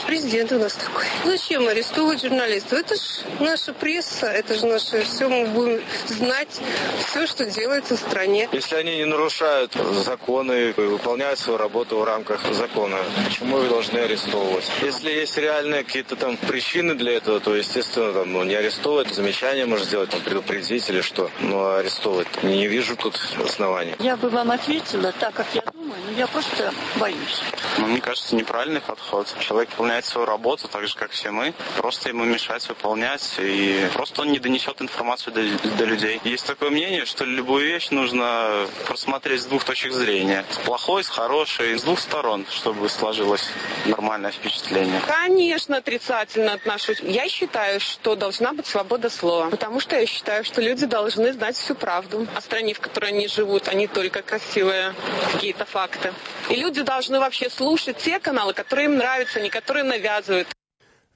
Президент у нас такой. Зачем арестовывать журналистов? Это же наша пресса, это же наше все. Мы будем знать все, что делается в стране. Если они не нарушают законы, выполняют свою работу в рамках закона, почему их должны арестовывать? Если есть реальные какие-то там причины для этого, то, естественно, там, ну, не арестовывать, замечания можно сделать, там, предупредить или что. Но арестовывать не вижу тут оснований. Я бы вам ответила так, как я думаю, но я просто боюсь. Ну, мне кажется, неправильный подход. Человек выполняет свою работу так же, как все мы. Просто ему мешать выполнять, и просто он не донесет информацию до, до людей. Есть такое мнение, что любую вещь нужно просмотреть с двух точек зрения. С плохой, с хорошей, с двух сторон, чтобы сложилось нормальное впечатление. Конечно, отрицательно отношусь. Я считаю, что должна быть свобода слова, потому что я считаю, что люди должны знать всю правду о стране, в которой они живут, а не только красивые какие-то факты. И люди должны вообще слушать те каналы, которые им нравятся, а не которые навязывают.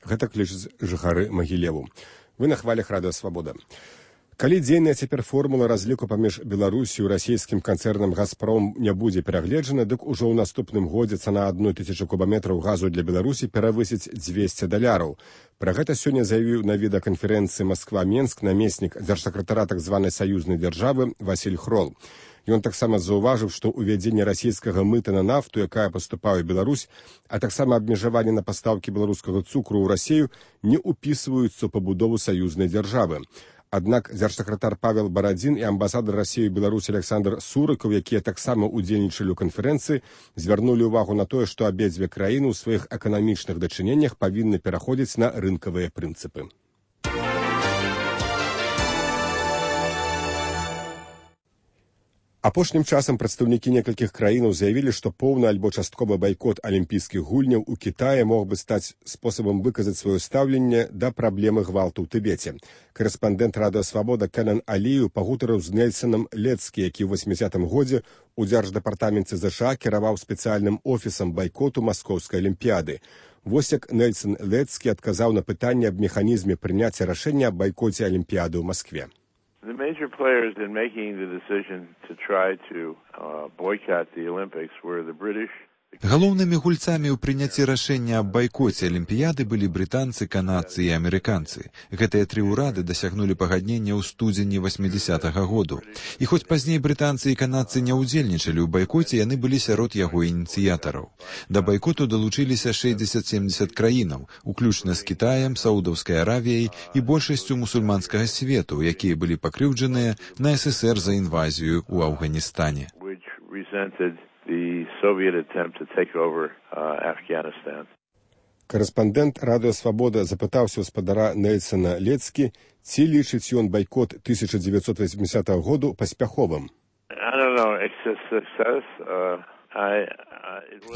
Гэта клічуць жыхары Магілеву. Вы на хвалях Радыё Свабода. Калі дзейная цяпер формула разліку паміж Беларусію і расійскім канцэрнам «Газпром» не будзе перагледжана, дык ужо ў наступным годзе цана адной тысячы кубаметраў газу для Беларусі перавысіць дзвесце даляраў. Пра гэта сёння заявіў на відэаканферэнцыі «Масква-Менск» намеснік дзяржсакратара так званай саюзнай дзяржавы Васіль Хрол. Ён таксама заўважыў, што ўвядзенне расійскага мыта на нафту, якая паступае ў Беларусь, а таксама абмежаванне на пастаўкі беларускага цукру ў Расію не ўпісваюцца ў пабудову саюзнай дзяржавы. Аднак дзяржсакратар Павел Барадзін і амбасадар Расіі ў Беларусі Александр Сурыкаў, якія таксама ўдзельнічалі ў канферэнцыі, звярнулі ўвагу на тое, што абедзве краіны ў сваіх эканамічных дачыненнях павінны пераходзіць на рынкавыя прынцыпы. Апошнім часам прадстаўнікі некалькіх краінаў заявілі, што поўны альбо частковы байкот алімпійскіх гульняў у Кітаі мог бы стаць спосабам выказаць сваё стаўленне да праблемы гвалту ў Тыбеце. Карэспандэнт Радыё Свабода Кенан Алію пагутарыў з Нельсонам Лецкі, які ў восьмідзятым годзе ў дзярждэпартаменце ЗША кіраваў спецыяльным офісам байкоту маскоўскай алімпіяды. Вось як Нельсон Лецкі адказаў на пытанне аб механізме прыняцця рашэння аб байкоце алімпіяды ў Маскве. The major players in making the decision to try to uh, boycott the Olympics were the British. Галоўнымі гульцамі ў прыняцці рашэння аб байкоце алімпіяды былі брытанцы, канадцы і амерыканцы. Гэтыя тры ўрады дасягнулі пагаднення ў студзені восьмідзясятага году. І хоць пазней брытанцы і канадцы не ўдзельнічалі ў байкоце, яны былі сярод яго ініцыятараў. Да байкоту далучыліся шэсцьдзесят-сямдзесят краінаў, уключна з Кітаем, Саудаўскай Аравіяй і большасцю мусульманскага свету, якія былі пакрыўджаныя на ССР за інвазію ў Афганістане. The Soviet attempt to take over uh, Afghanistan. Карэспандэнт Радыё Свабода запытаўся ў спадара Нельсона Лецкі, ці лічыць ён байкот тысяча дзевяцьсот восьмідзятага году паспяховым. I don't know, it's a success. Uh, I,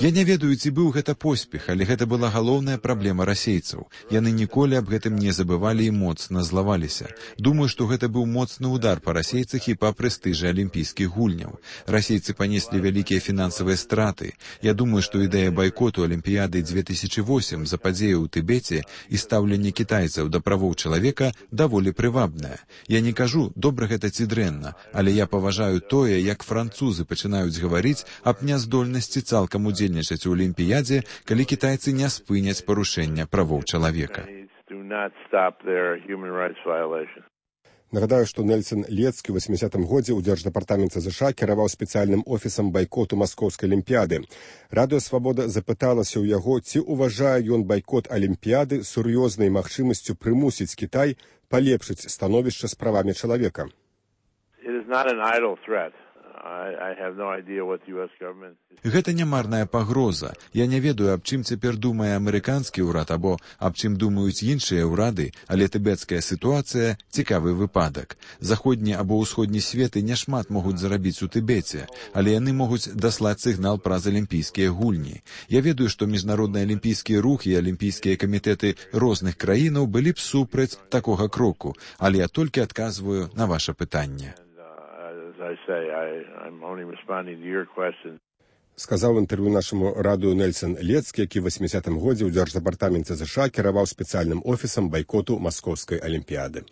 Я не ведаю, ці быў гэта поспех, але гэта была галоўная праблема расейцаў. Яны ніколі аб гэтым не забывалі і моцна злаваліся. Думаю, што гэта быў моцны удар па расейцах і па прэстыжы алімпійскіх гульняў. Расейцы панеслі вялікія фінансавыя страты. Я думаю, што ідэя байкоту алімпіяды дзве тысячы восьмым за падзею ў Тыбеце і стаўленне кітайцаў да правоў чалавека даволі прывабная. Я не кажу, добра гэта ці дрэнна, але я паважаю тое, як французы пачынаюць гаварыць аб няздольнасці цалкам удзельнічаць у алімпіядзе, калі кітайцы не спыняць парушэння правоў чалавека. not stop their human rights violations. Нагадаю, што Нельсон Лецкі ў восьмідзесятым годзе ў Дзярждэпартаменце ЗША кіраваў спецыяльным офісам байкоту маскоўскай алімпіяды. Радыё Свабода запыталася ў яго, ці ўважае ён байкот алімпіяды сур'ёзнай магчымасцю прымусіць Кітай палепшыць становішча з правамі чалавека. It is not an idle threat. I, I have no idea what the U S government is... Гэта не марная пагроза. Я не ведаю, аб чым цяпер думае амерыканскі ўрад або аб чым думаюць іншыя ўрады, але тыбецкая сітуацыя – цікавы выпадак. Заходні або ўсходні светы няшмат могуць зарабіць у Тыбеце, але яны могуць даслаць сігнал праз алімпійскія гульні. Я ведаю, што міжнародны алімпійскі рух і алімпійскія камітэты розных краінаў былі б супраць такога кроку, але я толькі адказваю на ваша пытанне. I say, I, I'm only responding to your question. Сказаў інтэрв'ю нашаму радыё Нельсон Лецкі, які ў восьмідзесятым годзе ў Дзярждэпартаменце ЗША кіраваў спецыяльным офісам байкоту маскоўскай алімпіяды.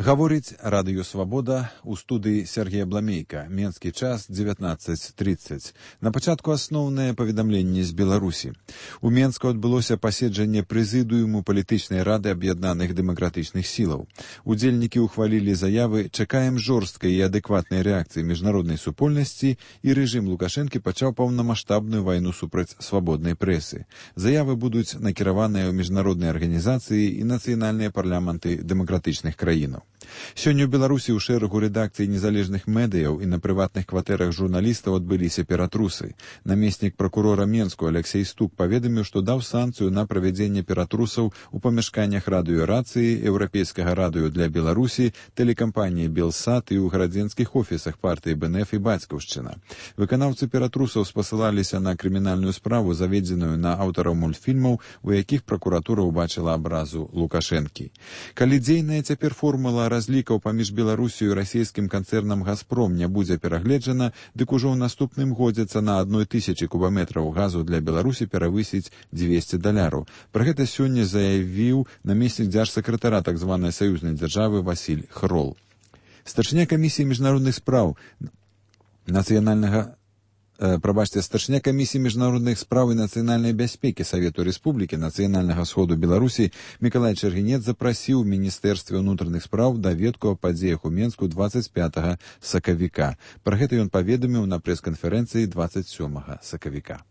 Гаворыць Радыё Свабода, у студыі Сергея Бламейка. Менскі час дзевятнаццаць трыццаць. На пачатку асноўнае паведамленне з Беларусі. У Менску адбылося паседжанне прэзідыуму палітычнай рады аб'яднаных дэмакратычных сілаў. Удзельнікі ўхвалілі заявы «Чакаем жорсткай і адэкватнай рэакцыі міжнароднай супольнасці» і рэжым Лукашэнкі пачаў паўнамаштабную вайну супраць свабоднай прэсы. Заявы будуць накіраваныя ў міжнародныя арганізацыі і нацыянальныя парламенты дэмакратычных краінаў. Сёння ў Беларусі ў шэрагу рэдакцый незалежных медыяў і на прыватных кватэрах журналістаў адбыліся ператрусы. Намеснік пракурора Менску Алексей Стук паведаміў, што даў санкцыю на правядзенне ператрусаў у памяшканнях радыёрацыі, еўрапейскага радыё для Беларусі, тэлекампаніі Белсат і ў гарадзенскіх офісах партыі БНФ і Бацькаўшчына. Выканаўцы ператрусаў спасылаліся на крымінальную справу, заведзеную на аўтараў мультфільмаў, у якіх пракуратура ўбачыла абразу Лукашэнкі. Калі дзейная цяпер формула разлікаў паміж Беларусію і расійскім канцэрнам «Газпром» не будзе перагледжана, дык ужо ў наступным годзе цана адной тысячы кубаметраў газу для Беларусі перавысіць дзвесце даляраў. Пра гэта сёння заявіў намеснік дзяржсакратара так званай саюзнай дзяржавы Васіль Хрол. Старшыня камісіі міжнародных спраў нацыянальнага Прабачце, старшыня камісіі міжнародных спраў і нацыянальнай бяспекі Савету Рэспублікі Нацыянальнага сходу Беларусі Мікалай Чэргінец запрасіў у Міністэрстве ўнутраных спраў даведку о падзеях у Менску дваццаць пятага сакавіка. Пра гэта ён паведаміў на прэс-канферэнцыі дваццаць сёмага сакавіка.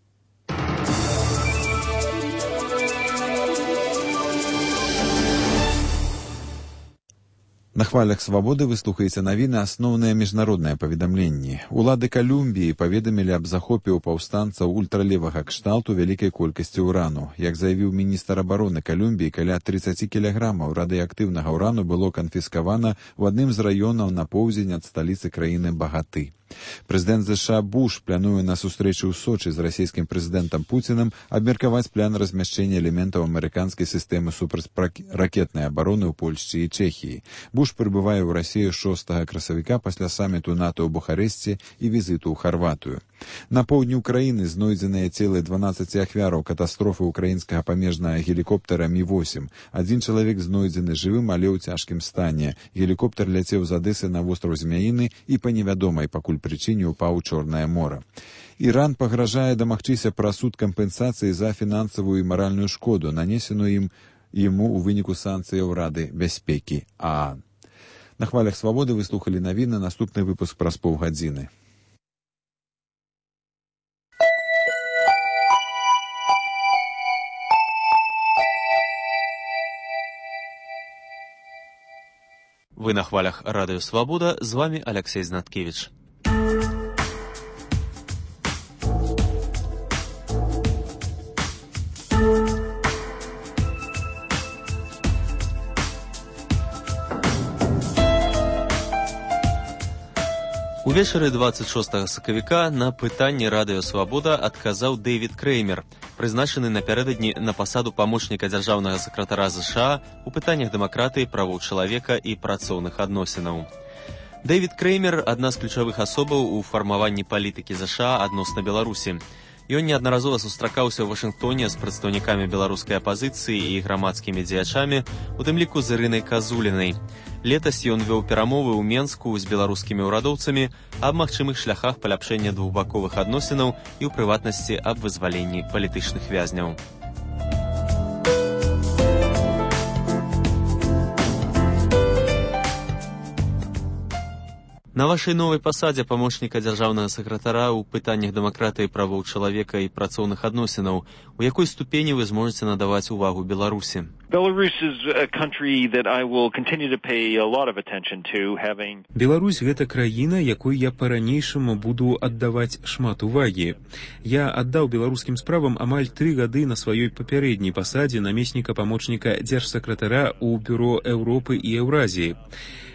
На хвалях Свабоды вы слухаеце навіны асноўныя міжнародныя паведамленні. Улады Калумбіі паведамілі аб захопе ў паўстанцаў ультралевага кшталту вялікай колькасці ўрану. Як заявіў міністр абароны Калумбіі, каля трыццаць кілаграмаў радыеактыўнага ўрану было канфіскавана ў адным з раёнаў на поўдзень ад сталіцы краіны Багаты. Прэзідэнт ЗША Буш плануе на сустрэчы ў Сочы з расійскім прэзідэнтам Пуцінам абмеркаваць план размяшчэння элементаў амерыканскай сістэмы супрацьракетнай абароны ў Польшчы і Чэхіі. Буш прыбывае ў Расію шостага красавіка пасля саміту НАТО ў Бухарэсце і візіту ў Харватыю. На поўдні ўкраіны знойдзеныя целы дванаццаці ахвяраў катастрофы ўкраінскага памежнага гелікоптера Мі восем. Адзін чалавек знойдзены жывым, але ў цяжкім стане. Гелікоптер ляцеў з Адэсы на востраў Змяіны і па невядомай пакуль прычыне ўпаў у Чорнае мора. Іран пагражае дамагчыся пра суд кампенсацыі за фінансавую і маральную шкоду, нанесеную ім яму ў выніку санкцыяў Рады бяспекі ААН. На хвалях Свабоды вы слухалі навіны, наступны выпуск праз паўгадзіны. Вы на хвалях Радыё Свабода, з вами Алексей Знаткевич. Увечары дваццаць шостага сакавіка на пытанне Радыё Свабода адказаў Дэвід Крэймер, прызначаны напярэдадні на пасаду памочніка дзяржаўнага сакратара ЗША у пытаннях дэмакратыі, правоў чалавека і працоўных адносінаў. Дэвід Крэймер – адна з ключавых асобаў у фармаванні палітыкі ЗША адносна Беларусі. Ён неаднаразова сустракаўся ў Вашынгтоне з прадстаўнікамі беларускай апазіцыі і грамадскімі дзеячамі, у тым ліку з Ірынай Казулінай. Летась ён вёў перамовы ў Менску з беларускімі ўрадоўцамі аб магчымых шляхах паляпшэння двухбаковых адносінаў і, ў прыватнасці, аб вызваленні палітычных вязняў. На вашай новай пасадзе памочніка дзяржаўнага сакратара ў пытаннях дэмакратыі, правоў чалавека і працоўных адносінаў, у якой ступені вы зможаце надаваць увагу Беларусі? Беларусь — гэта краіна, якой я па-ранейшаму буду аддаваць шмат увагі. Я аддаў беларускім справам амаль тры гады на сваёй папярэдняй пасадзе намесніка памочніка дзяржсакратара ў бюро Еўропы і Еўразіі.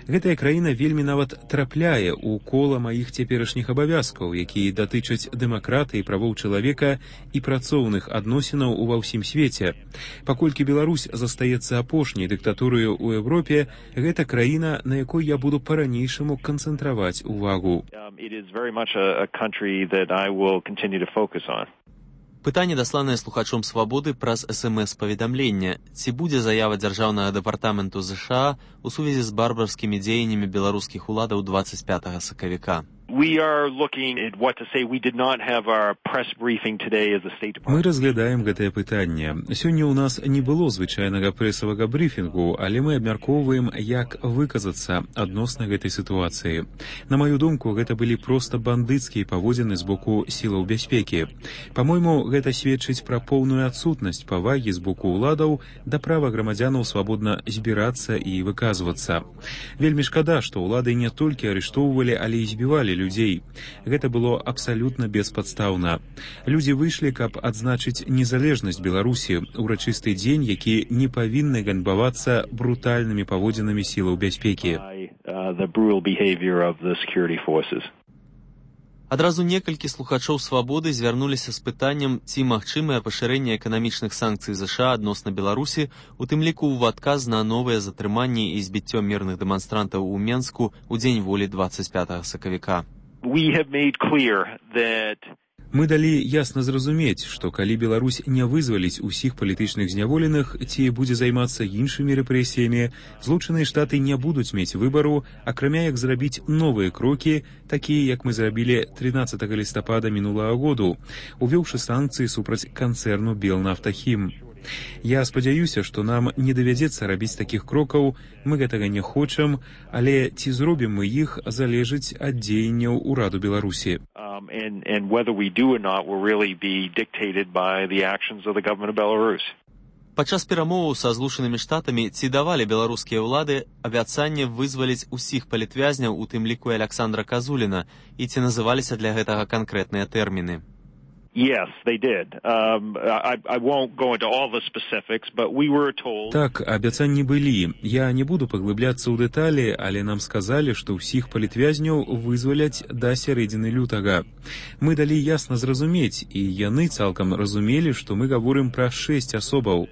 Гэтая краіна вельмі нават трапляе ў кола маіх цяперашніх абавязкаў, якія датычаць дэмакратыі, правоў чалавека і працоўных адносінаў ува ўсім свеце. Паколькі Беларусь застаецца апошняй дыктатурою ў Еўропе, гэта краіна, на якой я буду па-ранейшаму канцэнтраваць увагу. Пытанне, дасланае слухачом «Свабоды» праз эс эм эс-паведамленне. Ці будзе заява дзяржаўнага дэпартаменту ЗША у сувязі з барбарскімі дзеяннямі беларускіх уладаў дваццаць пятага сакавіка? We are looking at what to say. We did not have our press briefing today as a State Department. Мы разглядаем гэтае пытанне. Сёння ў нас не было звычайнага прэсавага брифінгу, але мы абмяркоўваем, як выказацца адносна гэтай сітуацыі. На маю думку, гэта былі проста бандыцкія паводзіны з боку сілаў бяспекі. Па-мойму, гэта сведчыць пра поўную адсутнасць павагі з боку ўладаў да права грамадзянаў свабодна збірацца і выказвацца. Вельмі шкада, што ўлады не толькі арыштоўвалі, але і збівалі людзей. Гэта было абсалютна беспадстаўна. Людзі выйшлі, каб адзначыць незалежнасць Беларусі, урачысты дзень, які не павінны ганьбавацца брутальнымі паводзінамі сілаў бяспекі. Адразу некалькі слухачоў «Свабоды» звярнуліся з пытаннем, ці магчымае пашырэнне эканамічных санкцый ЗША адносна Беларусі, у тым ліку ў адказ на новыя затрыманні і збіццё мірных дэманстрантаў у Менску ў дзень волі дваццаць пятага сакавіка. Мы далі ясна зразумець, што калі Беларусь не вызваліць усіх палітычных зняволеных ці будзе займацца іншымі рэпрэсіямі, Злучаныя Штаты не будуць мець выбару, акрамя як зрабіць новыя крокі, такія, як мы зрабілі трынаццатага лістапада мінулага году, увёўшы санкцыі супраць канцэрну «Белнафтахім». Я спадзяюся, што нам не давядзецца рабіць такіх крокаў, мы гэтага не хочам, але ці зробім мы іх, залежыць ад дзеянняў ураду Беларусі. Падчас перамоваў са Злучанымі Штатамі ці давалі беларускія ўлады абяцанне вызваліць усіх палітвязняў, у тым ліку Аляксандра Казуліна, і ці называліся для гэтага канкрэтныя тэрміны? Yes, they did. Um, I, I won't go into all the specifics, but we were told... Так, абяцанні былі. Я не буду паглыбляцца ў дэталі, але нам сказалі, што ўсіх палітвязняў вызваляць да сярэдзіны лютага. Мы далі ясна зразумець, і яны цалкам разумелі, што мы гаворым пра шэсць асобаў.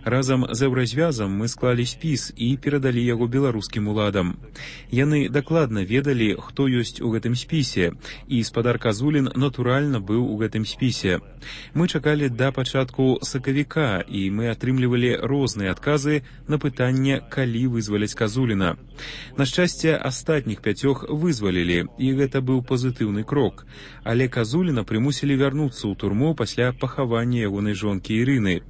Разам з Еўразвязам мы склалі спіс і перадалі яго беларускім уладам. Яны дакладна ведалі, хто ёсць у гэтым спісе, і спадар Казулін натуральна быў у гэтым спісе. Мы чакалі да пачатку сакавіка, і мы атрымлівалі розныя адказы на пытанне, калі вызваляць Казуліна. На шчасце, астатніх пяцёх вызвалілі, і гэта быў пазітыўны крок. Але Казуліна прымусілі вярнуцца ў турму пасля пахавання ягонай жонкі Ірыны.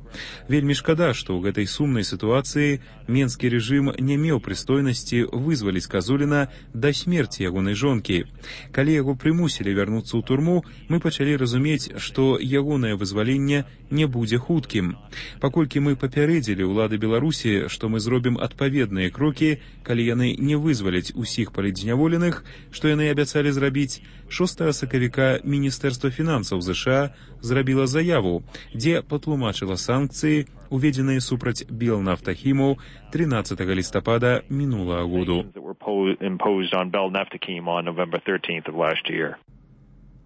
Вельмі шкада, што ў гэтай сумнай сітуацыі менскі рэжым не меў прыстойнасці вызваліць Казуліна да смерці ягонай жонкі. Калі яго прымусілі вярнуцца ў турму, мы пачалі разумець, што ягонае вызваленне не будзе хуткім. Паколькі мы папярэдзілі ўлады Беларусі, што мы зробім адпаведныя крокі, калі яны не вызваляць усіх палітзняволеных, што яны абяцалі зрабіць, шостага сакавіка Міністэрства фінансаў ЗША зрабіла заяву, дзе патлумачыла санкцыі, уведзеныя супраць Белнафтахіму трынаццатага лістапада мінулага году.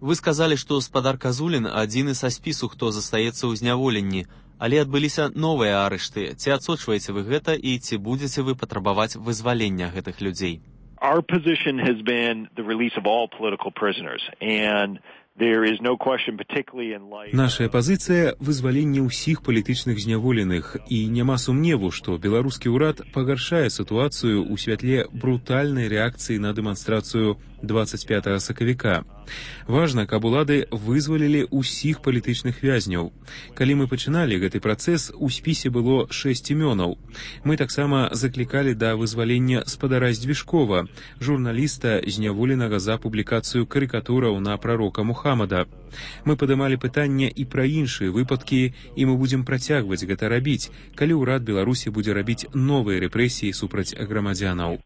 Вы сказалі, што спадар Казулін адзіны са спісу, хто застаецца ў зняволенні, але адбыліся новыя арышты. Ці адсочваеце вы гэта і ці будзеце вы патрабаваць вызвалення гэтых людзей? Our position has been the release of all political prisoners, and Нашая пазіцыя — вызваленне ўсіх палітычных зняволеных, і няма сумневу, што беларускі ўрад пагаршае сітуацыю ў святле брутальнай рэакцыі на дэманстрацыю двадцать пятага сакавіка. Важна, каб улады вызвалілі ўсіх палітычных вязняў. Калі мы пачыналі гэты працэс, у спісе было шэсць імёнаў. Мы таксама заклікалі да вызвалення спадара Здвижкова, журналіста, зняволенага за публікацыю карыкатураў на прарока Мухаммада. Мы падымалі пытанне і пра іншыя выпадкі, і мы будзем працягваць гэта рабіць, калі ўрад Беларусі будзе рабіць новыя рэпрэсіі супраць грамадзянаў.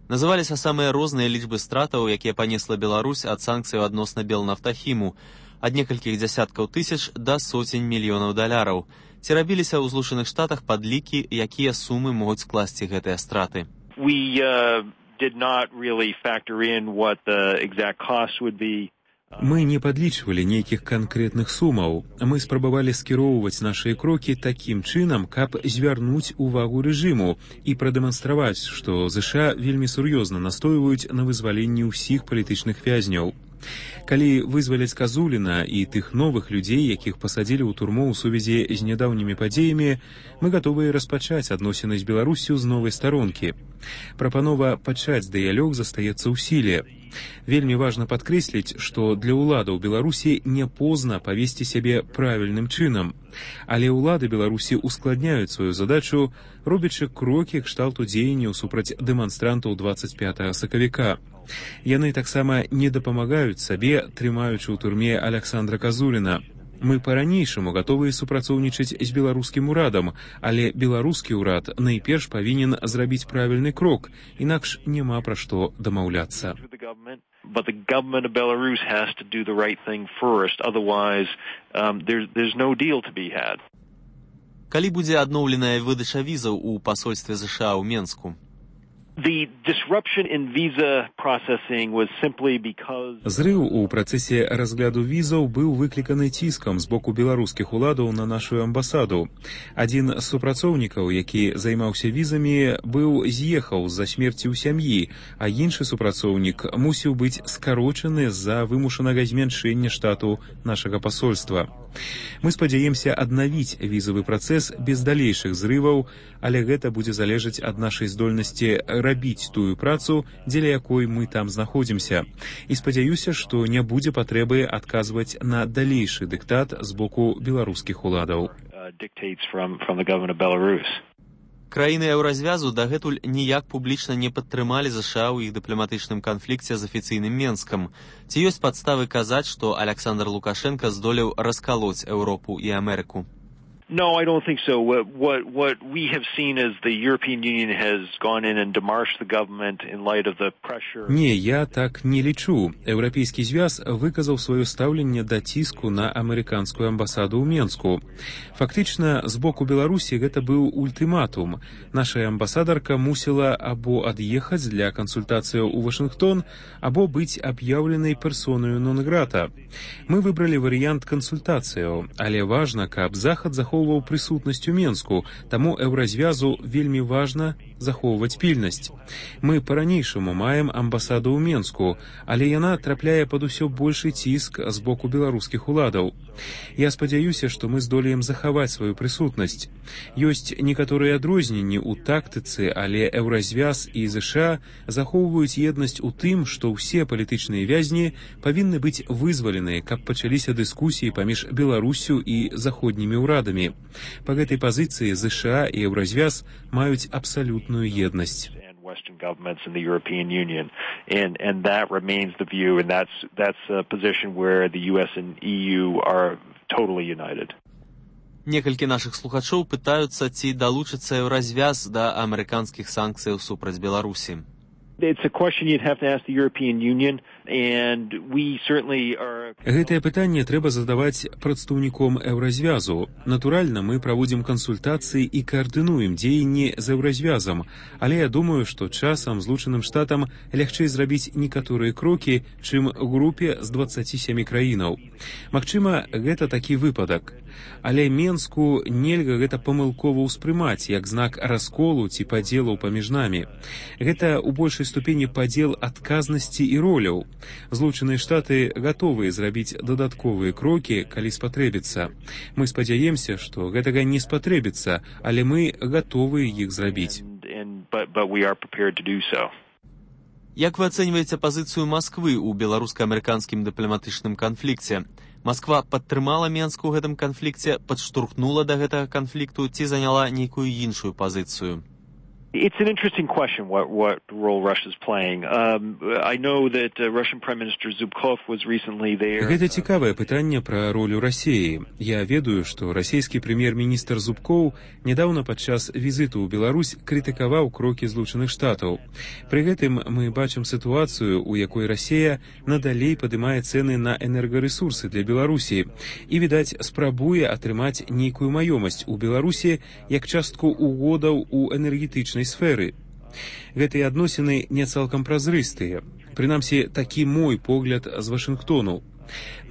Называліся самыя розныя лічбы стратаў, якія панесла Беларусь ад санкцыяў адносна Белнафтахіму, ад некалькіх дзясяткаў тысяч да сотень мільёнаў даляраў. Ці рабіліся ў Злучаных Штатах падлікі, якія сумы могуць скласці гэтыя страты? We uh, did not really factor in what the exact cost would be. Мы не падлічвалі нейкіх канкрэтных сумаў. Мы спрабавалі скіроўваць нашыя крокі такім чынам, каб звярнуць увагу рэжыму і прадэманстраваць, што ЗША вельмі сур'ёзна настойваюць на вызваленні ўсіх палітычных вязняў. Калі вызваляць Казуліна і тых новых людзей, якіх пасадзілі ў турму ў сувязі з нядаўнімі падзеямі, мы гатовыя распачаць адносіны з Беларуссю з новай старонкі. Прапанова пачаць дыялог застаецца ў сіле. Вельмі важна падкрэсліць, што для ўладаў Беларусі не позна павесці сябе правільным чынам. Але ўлады Беларусі ускладняюць сваю задачу, робячы крокі кшталту дзеянняў супраць дэманстрантаў двадцать пятага сакавіка. Яны таксама не дапамагаюць сабе, трымаючы ў турме Аляксандра Казуліна. Мы па-ранейшаму гатовыя супрацоўнічаць з беларускім урадам, але беларускі ўрад найперш павінен зрабіць правільны крок, інакш няма пра што дамаўляцца. But the government of Belarus has to do the right thing first, otherwise um, there's, there's no deal to be had. Калі будзе адноўленая выдача візаў у пасольстве ЗША ў Менску? The disruption in visa processing was simply because... Зрыў у працэсе разгляду візаў быў выкліканы ціскам з боку беларускіх уладаў на нашу амбасаду. Адзін з супрацоўнікаў, які займаўся візамі, быў з'ехаў з-за смерці ў сям'і, а іншы супрацоўнік мусіў быць скарочаны з-за вымушанага змяншэння штату нашага пасольства. Мы спадзяемся аднавіць візавы працэс без далейшых зрываў, але гэта будзе залежаць ад нашай здольнасці рабіць тую працу, дзеля якой мы там знаходзімся. І спадзяюся, што не будзе патрэбы адказваць на далейшы дыктат з боку беларускіх уладаў. Краіны еўразвязу дагэтуль ніяк публічна не падтрымалі ЗША ў іх дыпламатычным канфлікце з афіцыйным Менскам. Ці ёсць падставы казаць, што Аляксандр Лукашенка здолеў раскалоць Еўропу і Амерыку? No, I don't think so. What, what, what we have seen is the European Union has gone in and demarched the government in light of the pressure. Не, я так не лічу. Еўрапейскі звяз выказаў сваё стаўленне да ціску на амерыканскую амбасаду ў Менску. Фактычна, з боку Беларусі гэта быў ультыматум. Наша амбасадарка мусіла або ад'ехаць для кансультацыяў у Вашынгтон, або быць аб'яўленай персонаю нон-грата. Мы выбралі варыянт кансультацыяў, але важна, каб Захад захоўваў прысутнасць у Менску, таму еўразвязу вельмі важна захоўваць пільнасць. Мы па-ранейшаму маем амбасаду ў Менску, але яна трапляе пад усё большы ціск з боку беларускіх уладаў. Я спадзяюся, што мы здолеем захаваць сваю прысутнасць. Ёсць некаторыя адрозненні ў тактыцы, але еўразвяз і ЗША захоўваюць еднасць у тым, што ўсе палітычныя вязні павінны быць вызваленыя, каб пачаліся дыскусіі паміж Беларуссю і заходнімі ўрадамі. Па гэтай пазіцыі ЗША і еўразвяз маюць абсалютную еднасць. Western governments in the European Union, and and that remains the view, and that's that's a position where the U S and E U are totally united. Некалькі нашых слухачоў пытаюцца, ці далучыцца еўразвяз да амерыканскіх санкцыяў супраць Беларусі. It's a question you'd have to ask the European Union, and we certainly are... Гэтае пытанне трэба задаваць прадстаўніком еўразвязу. Натуральна, мы праводзім кансультацыі і каардынуем дзеянні з еўразвязам, але я думаю, што часам Злучаным Штатам лягчэй зрабіць некаторыя крокі, чым групе з дваццаці сямі краінаў. Магчыма, гэта такі выпадак. Але Менску нельга гэта памылкова ўспрымаць як знак расколу ці падзелаў паміж намі. Гэта ў большай ступені падзел адказнасці і роляў. Злучаныя Штаты гатовыя зрабіць дадатковыя крокі, калі спатрэбіцца. Мы спадзяемся, што гэтага не спатрэбіцца, але мы гатовыя іх зрабіць. Як вы ацэньваеце пазіцыю Масквы ў беларуска-амерыканскім дыпламатычным канфлікце? Масква падтрымала Менск у гэтым канфлікце, падштурхнула да гэтага канфлікту ці заняла нейкую іншую пазіцыю? It's an interesting question, what, what role Russia's playing. Um, I know that uh, Russian Prime Minister Zubkov was recently there. Гэта цікавае пытанне пра ролю Расіі. Я ведаю, што расійскі прэм'ер-міністр Зубкоў нядаўна падчас візіту ў Беларусь крытыкаваў крокі Злучаных Штатаў. Пры гэтым мы бачым сітуацыю, у якой Расія надалей падымае цэны на энергарэсурсы для Беларусі і, відаць, спрабуе атрымаць нейкую маёмасць у Беларусі як частку угодаў у энергетычнай сферы. Гэтыя адносіны не цалкам празрыстыя. Прынамсі, такі мой погляд з Вашынгтону.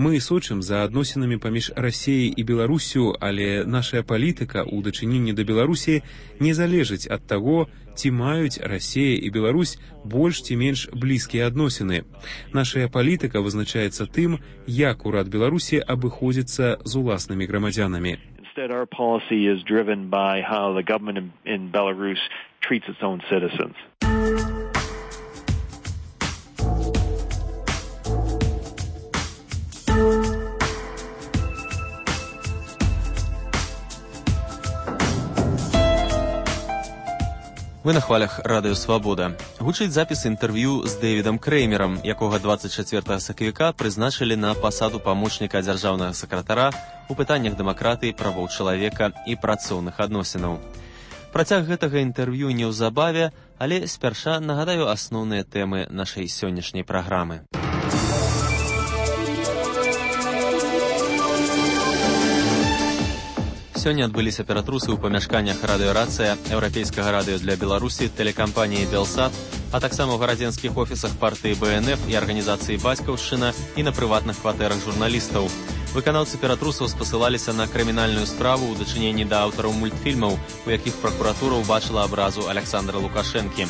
Мы сочым за адносінамі паміж Расіяй і Беларусю, але наша палітыка ў дачыненні да Беларусі не залежыць ад таго, ці маюць Расія і Беларусь больш ці менш блізкія адносіны. Наша палітыка вызначаецца тым, як урад Беларусі абыходзіцца з уласнымі грамадзянамі. Instead, our policy is driven by how the government in, in Belarus treats its own citizens. Вы на хвалях Радыё Свабода. Гучыць запіс інтэрв'ю з Дэвідам Крэймерам, якога дваццаць чацвёртага сакавіка прызначылі на пасаду памочніка дзяржаўнага сакратара у пытаннях дэмакратыі, правоў чалавека і працоўных адносінаў. Працяг гэтага інтэрв'ю неўзабаве, але спярша нагадаю асноўныя тэмы нашай сённяшняй праграмы. Сёння адбыліся ператрусы ў памяшканнях радыёрацыя, еўрапейскага радыё для Беларусі, тэлекампаніі «Белсат», а таксама ў гарадзенскіх офісах партыі бэ эн эф і арганізацыі «Бацькаўшчына» і на прыватных кватэрах журналістаў. Выканаўцы ператрусаў спасылаліся на крымінальную справу ў дачыненні да аўтараў мультфільмаў, у якіх пракуратура ўбачыла абразу Аляксандра Лукашэнкі.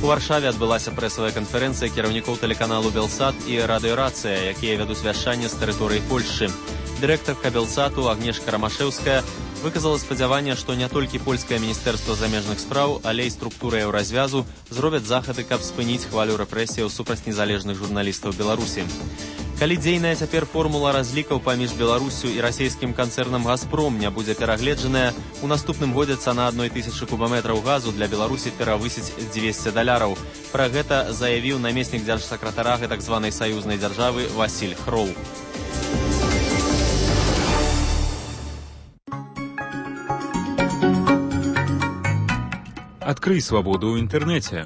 У Варшаве адбылася прэсавая канферэнцыя кіраўнікоў тэлеканалу «Белсат» і радыёрацыя, якія вядуць вяшчанне з тэрыторыі Польшчы. Дырэктарка «Белсату» Агнешка Рамашэўская выказала спадзяванне, што не толькі польскае міністэрства замежных спраў, але і структуры еўразвязу зробяць захады, каб спыніць хвалю рэпрэсіяў супраць незалежных журналістаў Беларусі. Калі дзейная цяпер формула разлікаў паміж Беларусю і расійскім канцэрнам «Газпром» не будзе перагледжаная, у наступным годзе цана адной тысячы кубаметраў газу для Беларусі перавысіць дзвесце даляраў. Пра гэта заявіў намеснік дзяржсакратара так званай саюзнай дзяржавы Васіль Хроў. Адкрый свабоду ў інтэрнэце.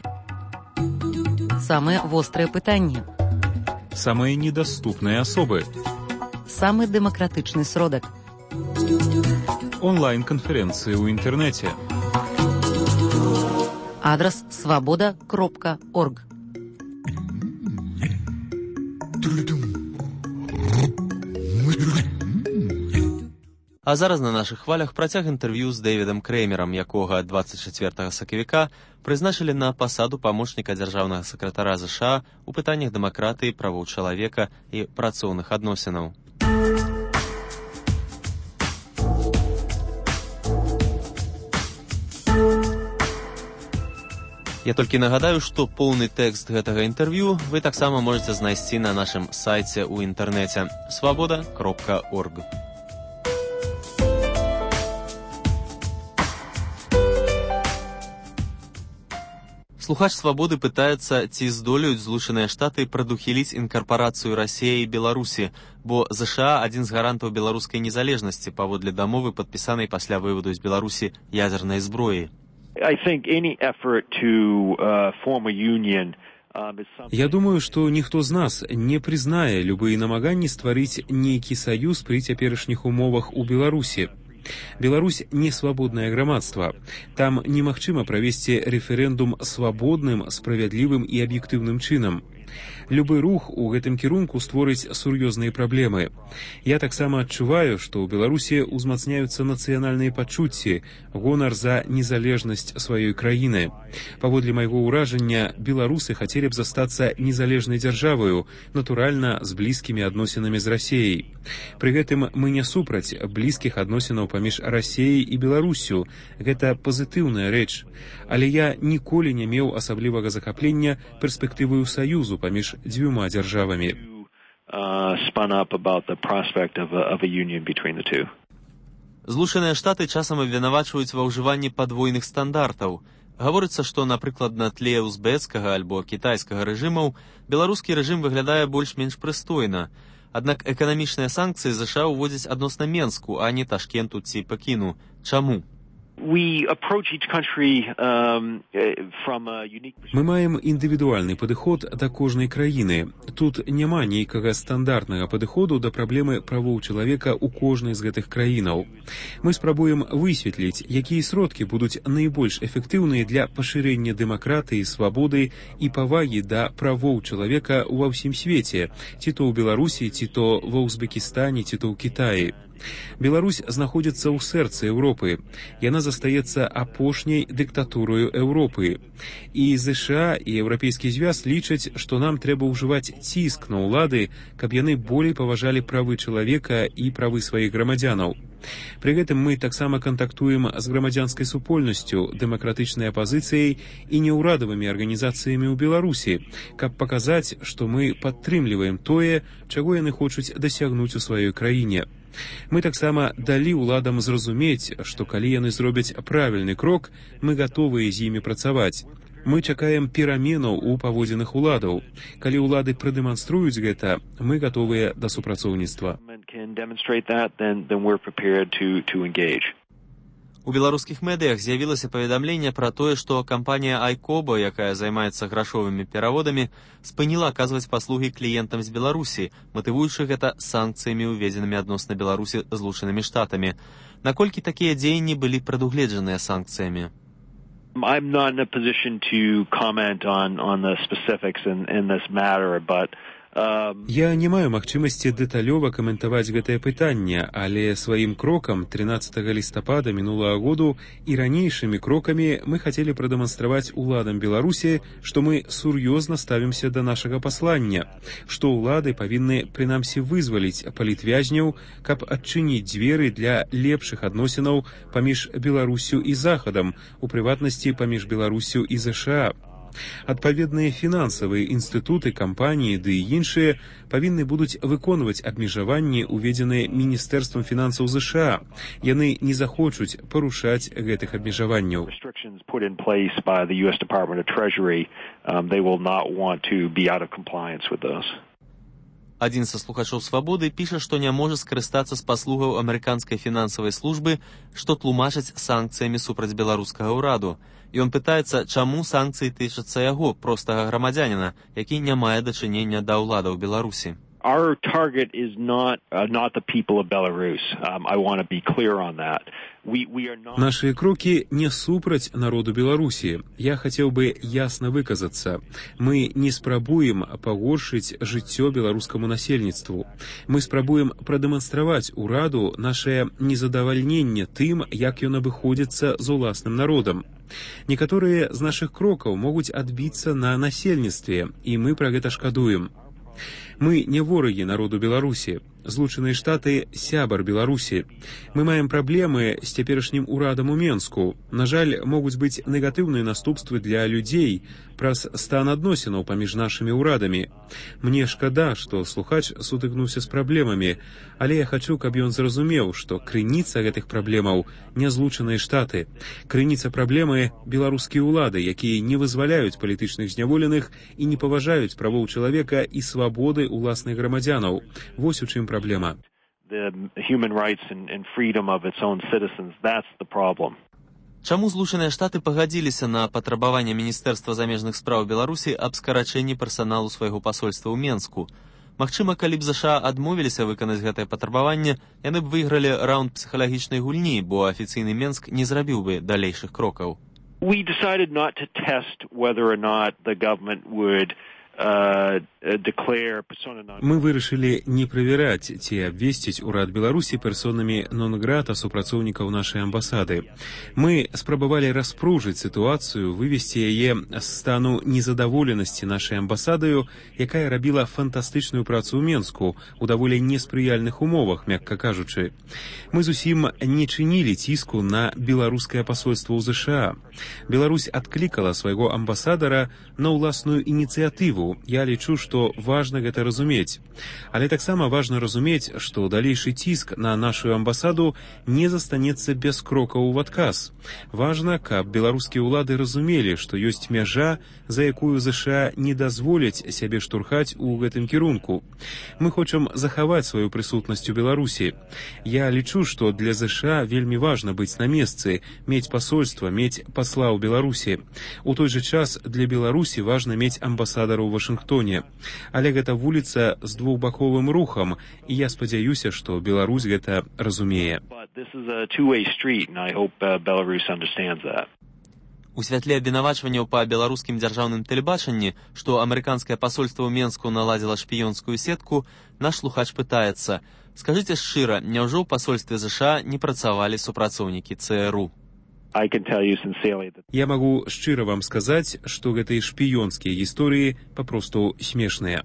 Самыя вострыя пытанні. Самыя недаступныя асобы. Самы дэмакратычны сродак. Онлайн-канферэнцыі ў інтэрнэце. Адрас свабода кропка орг. А зараз на нашых хвалях працяг інтэрв'ю з Дэвідам Крэймерам, якога дваццаць чацвёртага сакавіка прызначылі на пасаду памочніка дзяржаўнага сакратара ЗША у пытаннях дэмакратыі, правоў чалавека і працоўных адносінаў. Я толькі нагадаю, што поўны тэкст гэтага інтэрв'ю вы таксама можаце знайсці на нашым сайце ў інтэрнэце свабода кропка орг. Слухач «Свабоды» пытаецца, ці здолеюць Злучаныя Штаты прадухіліць інкарпарацыю Расіі і Беларусі, бо ЗША адзін з гарантаў беларускай незалежнасці паводле дамовы, падпісанай пасля вываду з Беларусі ядзернай зброі. Я думаю, што ніхто з нас не прызнае любыя намаганні стварыць нейкі саюз пры цяперашніх умовах у Беларусі. Беларусь не свабоднае грамадства. Там немагчыма правесці рэферэндум свабодным, справядлівым і аб'ектыўным чынам. Любы рух у гэтым кірунку створыць сур'ёзныя праблемы. Я таксама адчуваю, што ў Беларусі ўзмацняюцца нацыянальныя пачуцці, гонар за незалежнасць сваёй краіны. Паводле майго ўражання, беларусы хацелі б застацца незалежнай дзяржаваю, натуральна, з блізкімі адносінамі з Расеяй. Пры гэтым мы не супраць блізкіх адносінаў паміж Расеяй і Беларусю. Гэта пазітыўная рэч. Але я ніколі не меў асаблівага захаплення перспектываю саюзу паміж дзвюма дзяржавамі. Злучаныя Штаты часам абвінавачваюць ва ўжыванні падвойных стандартаў. Гаворыцца, што, напрыклад, на тле узбецкага альбо кітайскага рэжымаў беларускі рэжым выглядае больш-менш прыстойна. Аднак эканамічныя санкцыі ЗША ўводзяць адносна Менску, а не Ташкенту ці Пекіну. Чаму? We approach each country um, from a unique... Мы маем індывідуальны падыход да кожнай краіны. Тут няма нейкага стандартнага падыходу да праблемы правоў чалавека ў кожнай з гэтых краінаў. Мы спрабуем высветліць, якія сродкі будуць найбольш эфектыўныя для пашырэння дэмакратыі, свабоды і павагі да правоў чалавека ва ўсім свеце, ці то ў Беларусі, ці то ва Узбекістане, ці то ў Кітаі. Беларусь знаходзіцца ў сэрцы Еўропы. Яна застаецца апошняй дыктатурою Еўропы. І ЗША і Еўрапейскі звяз лічаць, што нам трэба ўжываць ціск на ўлады, каб яны болей паважалі правы чалавека і правы сваіх грамадзянаў. Пры гэтым мы таксама кантактуем з грамадзянскай супольнасцю, дэмакратычнай апазіцыяй і неўрадавымі арганізацыямі ў Беларусі, каб паказаць, што мы падтрымліваем тое, чаго яны хочуць дасягнуць у сваёй краіне. Мы таксама далі ўладам зразумець, што калі яны зробяць правільны крок, мы гатовыя з імі працаваць. Мы чакаем пераменаў у паводзінах уладаў. Калі ўлады прадэманструюць гэта, мы гатовыя да супрацоўніцтва. У беларускіх медыях з'явілася паведамленне пра тое, што кампанія Айкоба, якая займаецца грашовымі пераводамі, спыніла аказваць паслугі кліентам з Беларусі, матывуючы гэта санкцыямі, уведзенымі адносна Беларусі Злучанымі Штатамі. Наколькі такія дзеянні былі прадугледжаныя санкцыямі? I'm not in a position to comment on, on the specifics in, in this matter, but Я не маю магчымасці дэталёва каментаваць гэтае пытанне, але сваім крокам трынаццатага лістапада мінулага году і ранейшымі крокамі мы хацелі прадэманстраваць уладам Беларусі, што мы сур'ёзна ставімся да нашага паслання, што ўлады павінны прынамсі вызваліць палітвязняў, каб адчыніць дзверы для лепшых адносінаў паміж Беларусю і Захадам, у прыватнасці паміж Беларусю і ЗША. Адпаведныя фінансавыя інстытуты, кампаніі ды і іншыя павінны будуць выконваць абмежаванні, уведзеныя Міністэрствам фінансаў ЗША. Яны не захочуць парушаць гэтых абмежаванняў. Адзін са слухачоў «Свабоды» піша, што не можа скарыстацца з паслугаў амерыканскай фінансавай службы, што тлумачаць санкцыямі супраць беларускага ўраду. Ён пытаецца, чаму санкцыі тычацца яго, простага грамадзяніна, які не мае дачынення да ўладаў Беларусі. Our target is not uh, not the people of Belarus. Um, I want to be clear on that. We we are not. Наши крокі не супраць народу Беларусі. Я хацеў бы ясна выказацца. Мы не спрабуем пагоршыць жыццё беларускаму насельніцтву. Мы спрабуем прадэманстраваць ураду нашае незадавальненне тым, як ён абыходзіцца з уласным народам. Некаторыя з нашых крокаў могуць адбіцца на насельніцтве, і мы пра гэта шкадуем. Мы не ворагі народу Беларусі. Злучаныя Штаты – сябар Беларусі. Мы маем праблемы з цяперашнім урадам у Менску. На жаль, могуць быць негатыўныя наступствы для людзей праз стан адносінаў паміж нашымі ўрадамі. Мне шкада, што слухач сутыкнуўся з праблемамі, але я хачу, каб ён зразумеў, што крыніца гэтых праблемаў не Злучаныя Штаты. Крыніца праблемы – беларускія ўлады, якія не вызваляюць палітычных зняволеных і не паважаюць правоў чалавека і свабоды уласных грамадзянаў. Вось у чым праблема. The human rights and, and freedom of its own citizens, that's the problem. Чаму Злучаныя Штаты пагадзіліся на патрабаванне Міністэрства замежных спраў Беларусі аб скарачэнні персаналу свайго пасольства ў Менску? Магчыма, калі б ЗША адмовіліся выканаць гэтае патрабаванне, яны б выйгралі раунд псіхалагічнай гульні, бо афіцыйны Менск не зрабіў бы далейшых крокаў. We decided not to test whether or not the government would Мы вырашылі не правяраць ці абвесціць урад Беларусі персонамі нон-грата супрацоўнікаў нашай амбасады. Мы спрабавалі распружыць сітуацыю, вывесці яе з стану незадаволенасці нашай амбасадаю, якая рабіла фантастычную працу ў Менску у даволі неспрыяльных умовах, мякка кажучы. Мы зусім не чынілі ціску на беларускае пасольства ў ЗША. Беларусь адклікала свайго амбасадара на ўласную ініцыятыву. Я лічу, што важна гэта разумець. Але таксама важна разумець, што далейшы ціск на нашу амбасаду не застанецца без крокаў у адказ. Важна, каб беларускія ўлады разумелі, што ёсць мяжа, за якую ЗША не дазволяць сябе штурхаць у гэтым кірунку. Мы хочам захаваць сваю прысутнасць у Беларусі. Я лічу, што для ЗША вельмі важна быць на месцы, мець пасольства, мець пасла ў Беларусі. У той жа час для Беларусі важна мець амбасадара ў Вашынгтоне. Але гэта вуліца з двухбаковым рухам, і я спадзяюся, што Беларусь гэта разумее. У святле абвінавачванняў па беларускім дзяржаўным тэлебачанні, што амерыканскае пасольства ў Менску наладзіла шпіёнскую сетку, наш слухач пытаецца: скажыце шчыра, няўжо ў пасольстве ЗША не працавалі супрацоўнікі ЦРУ? Я магу шчыра вам сказаць, што гэтыя шпіёнскія гісторыі папросту смешныя.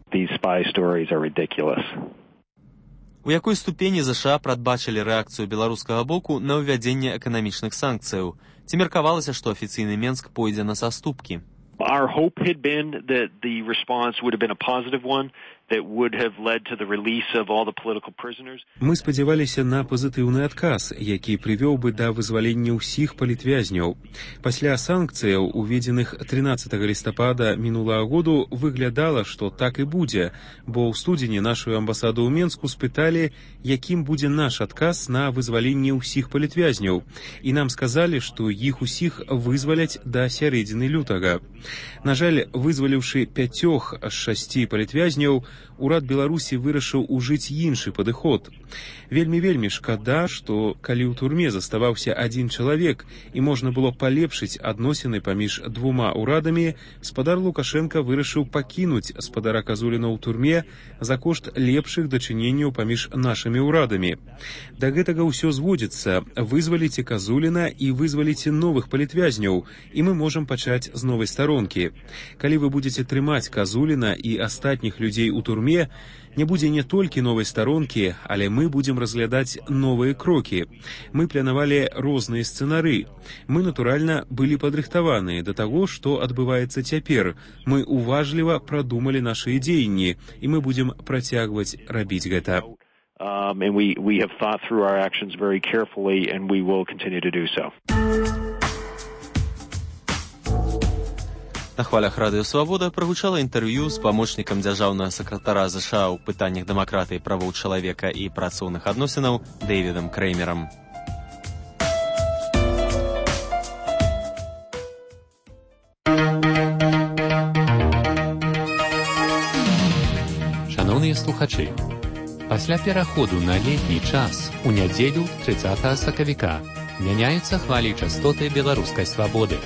У якой ступені ЗША прадбачылі рэакцыю беларускага боку на ўвядзенне эканамічных санкцыяў? Ці меркавалася, што афіцыйны Менск пойдзе на саступкі? Our hope had been that the response would have been a positive one that would have led to the release of all the political prisoners. Мы спадзяваліся на пазітыўны адказ, які прывёў бы да вызвалення ўсіх палітвязняў. Пасля санкцыяў, уведзеных трынаццатага лістапада мінулага году, выглядала, што так і будзе, бо ў студзені нашу амбасаду ў Менску спыталі, якім будзе наш адказ на вызваленне ўсіх палітвязняў, і нам сказалі, што іх усіх вызваляць да сярэдзіны лютага. На жаль, вызваліўшы пяцёх з шасці палітвязняў, урад Беларусі вырашыў ужыць іншы падыход. Вельмі-вельмі шкада, што калі ў турме заставаўся адзін чалавек і можна было палепшыць адносіны паміж двума ўрадамі, спадар Лукашенка вырашыў пакінуць спадара Казуліна ў турме за кошт лепшых дачыненняў паміж нашымі ўрадамі. Да гэтага ўсё зводзіцца: вызваліце Казуліна і вызваліце новых палітвязняў, і мы можам пачаць з новай старонкі. Калі вы будзеце трымаць Казуліна і астатніх людзей у турме, не будзе не толькі новай старонкі, але мы будзем разглядаць новыя крокі. Мы планавалі розныя сцэнары. Мы, натуральна, былі падрыхтаваныя да таго, што адбываецца цяпер. Мы уважліва прадумалі нашы дзеянні, і мы будзем працягваць рабіць гэта. Um, and we, we have thought through our actions very carefully, and we will continue to do so. На хвалях Радыё Свабода прагучала інтэрв'ю з памочнікам дзяржаўнага сакратара ЗША ў пытаннях дэмакратыі, правоў чалавека і працоўных адносінаў Дэвідам Крэймерам. Шановныя слухачы, пасля пераходу на летні час у нядзелю трыццатага сакавіка мяняюцца хвалі частоты беларускай свабоды.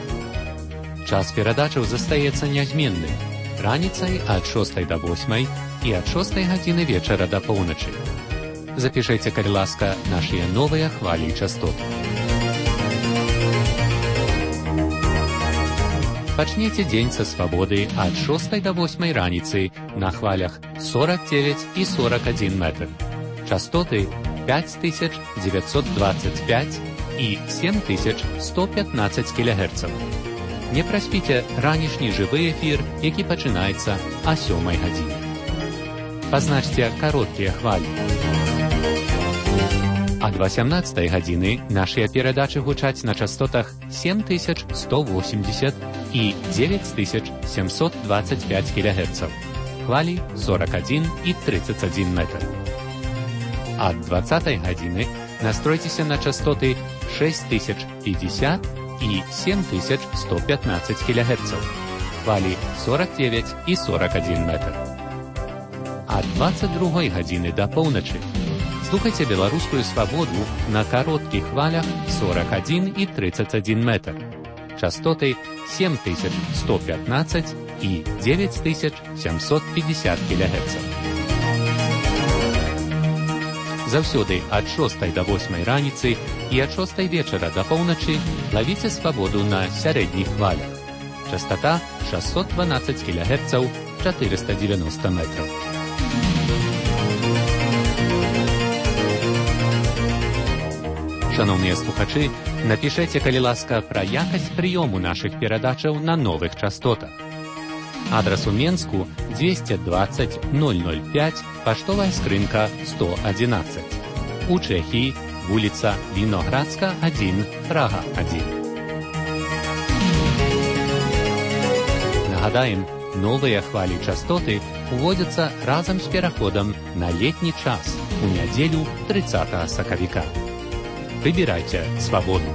Час перадачаў застаецца нязменным раніцай ад шостай да восьмай і ад шостай гадзіны вечара да поўначы. Запішайце, калі ласка, нашыя новыя хвалі частот. Пачніце дзень са свабоды ад шостай да восьмай раніцы на хвалях сорок девять і сорок один метр. Частоты пять тысяч девятьсот двадцать пять і семь тысяч сто пятнадцать кілогерцаў. Не праспіце ранішні жывы эфір, які пачынаецца а сёмай гадзіне. Пазначце кароткія хвалі. Ад васямнаццатай гадзіны нашыя перадачы гучаць на частотах семь тысяч сто восемьдесят і девять тысяч семьсот двадцать пять кілогерцаў. Хвалі сорок один і тридцать один метр. Ад двадцатай гадзіны настройцеся на частоты шесть тысяч пятьдесят і семь тысяч сто пятнадцать кілогерцаў. Хвалі сорок девять і сорок один метр. Ад двадцать другой гадзіны да поўначы слухайце беларускую свабоду на кароткіх хвалях сорок один і тридцать один метр. частоты семь тысяч сто пятнадцать и девять тысяч семьсот пятьдесят килогерцаў. Заўсёды ад шостай да восьмай раніцы і ад шостай вечара да поўначы лавіце свабоду на сярэдніх хвалях. Частота шестьсот двенадцать килогерцаў, четыреста девяносто метров. Шановныя слухачы, напішэце, калі ласка, пра якасць прыёму нашых перадачаў на новых частотах. Адрас у Менску двести двадцать ноль ноль пять, паштовая скрынка сто одиннадцать. У Чэхіі вуліца Віноградска один, Прага один. Нагадаем, новыя хвалі частоты уводзяцца разам з пераходам на летні час у нядзелю трыццатага сакавіка. Выбирайте свободу.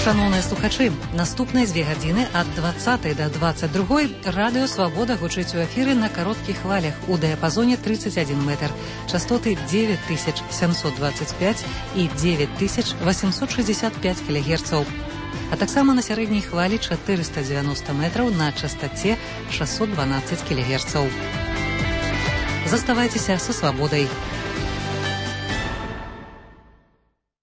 Шановныя слухачы, наступныя дзве гадзіны ад двадцатай да дваццаць другой радыё «Свабода» гучыць у эфіры на кароткіх хвалях у дыяпазоне тридцать один метр, частоты девять тысяч семьсот двадцать пять и девять тысяч восемьсот шестьдесят пять килогерцаў, а таксама на сярэдняй хвалі четыреста девяносто метраў на частоце шестьсот двенадцать килогерцаў. Заставайцеся са «Свабодай».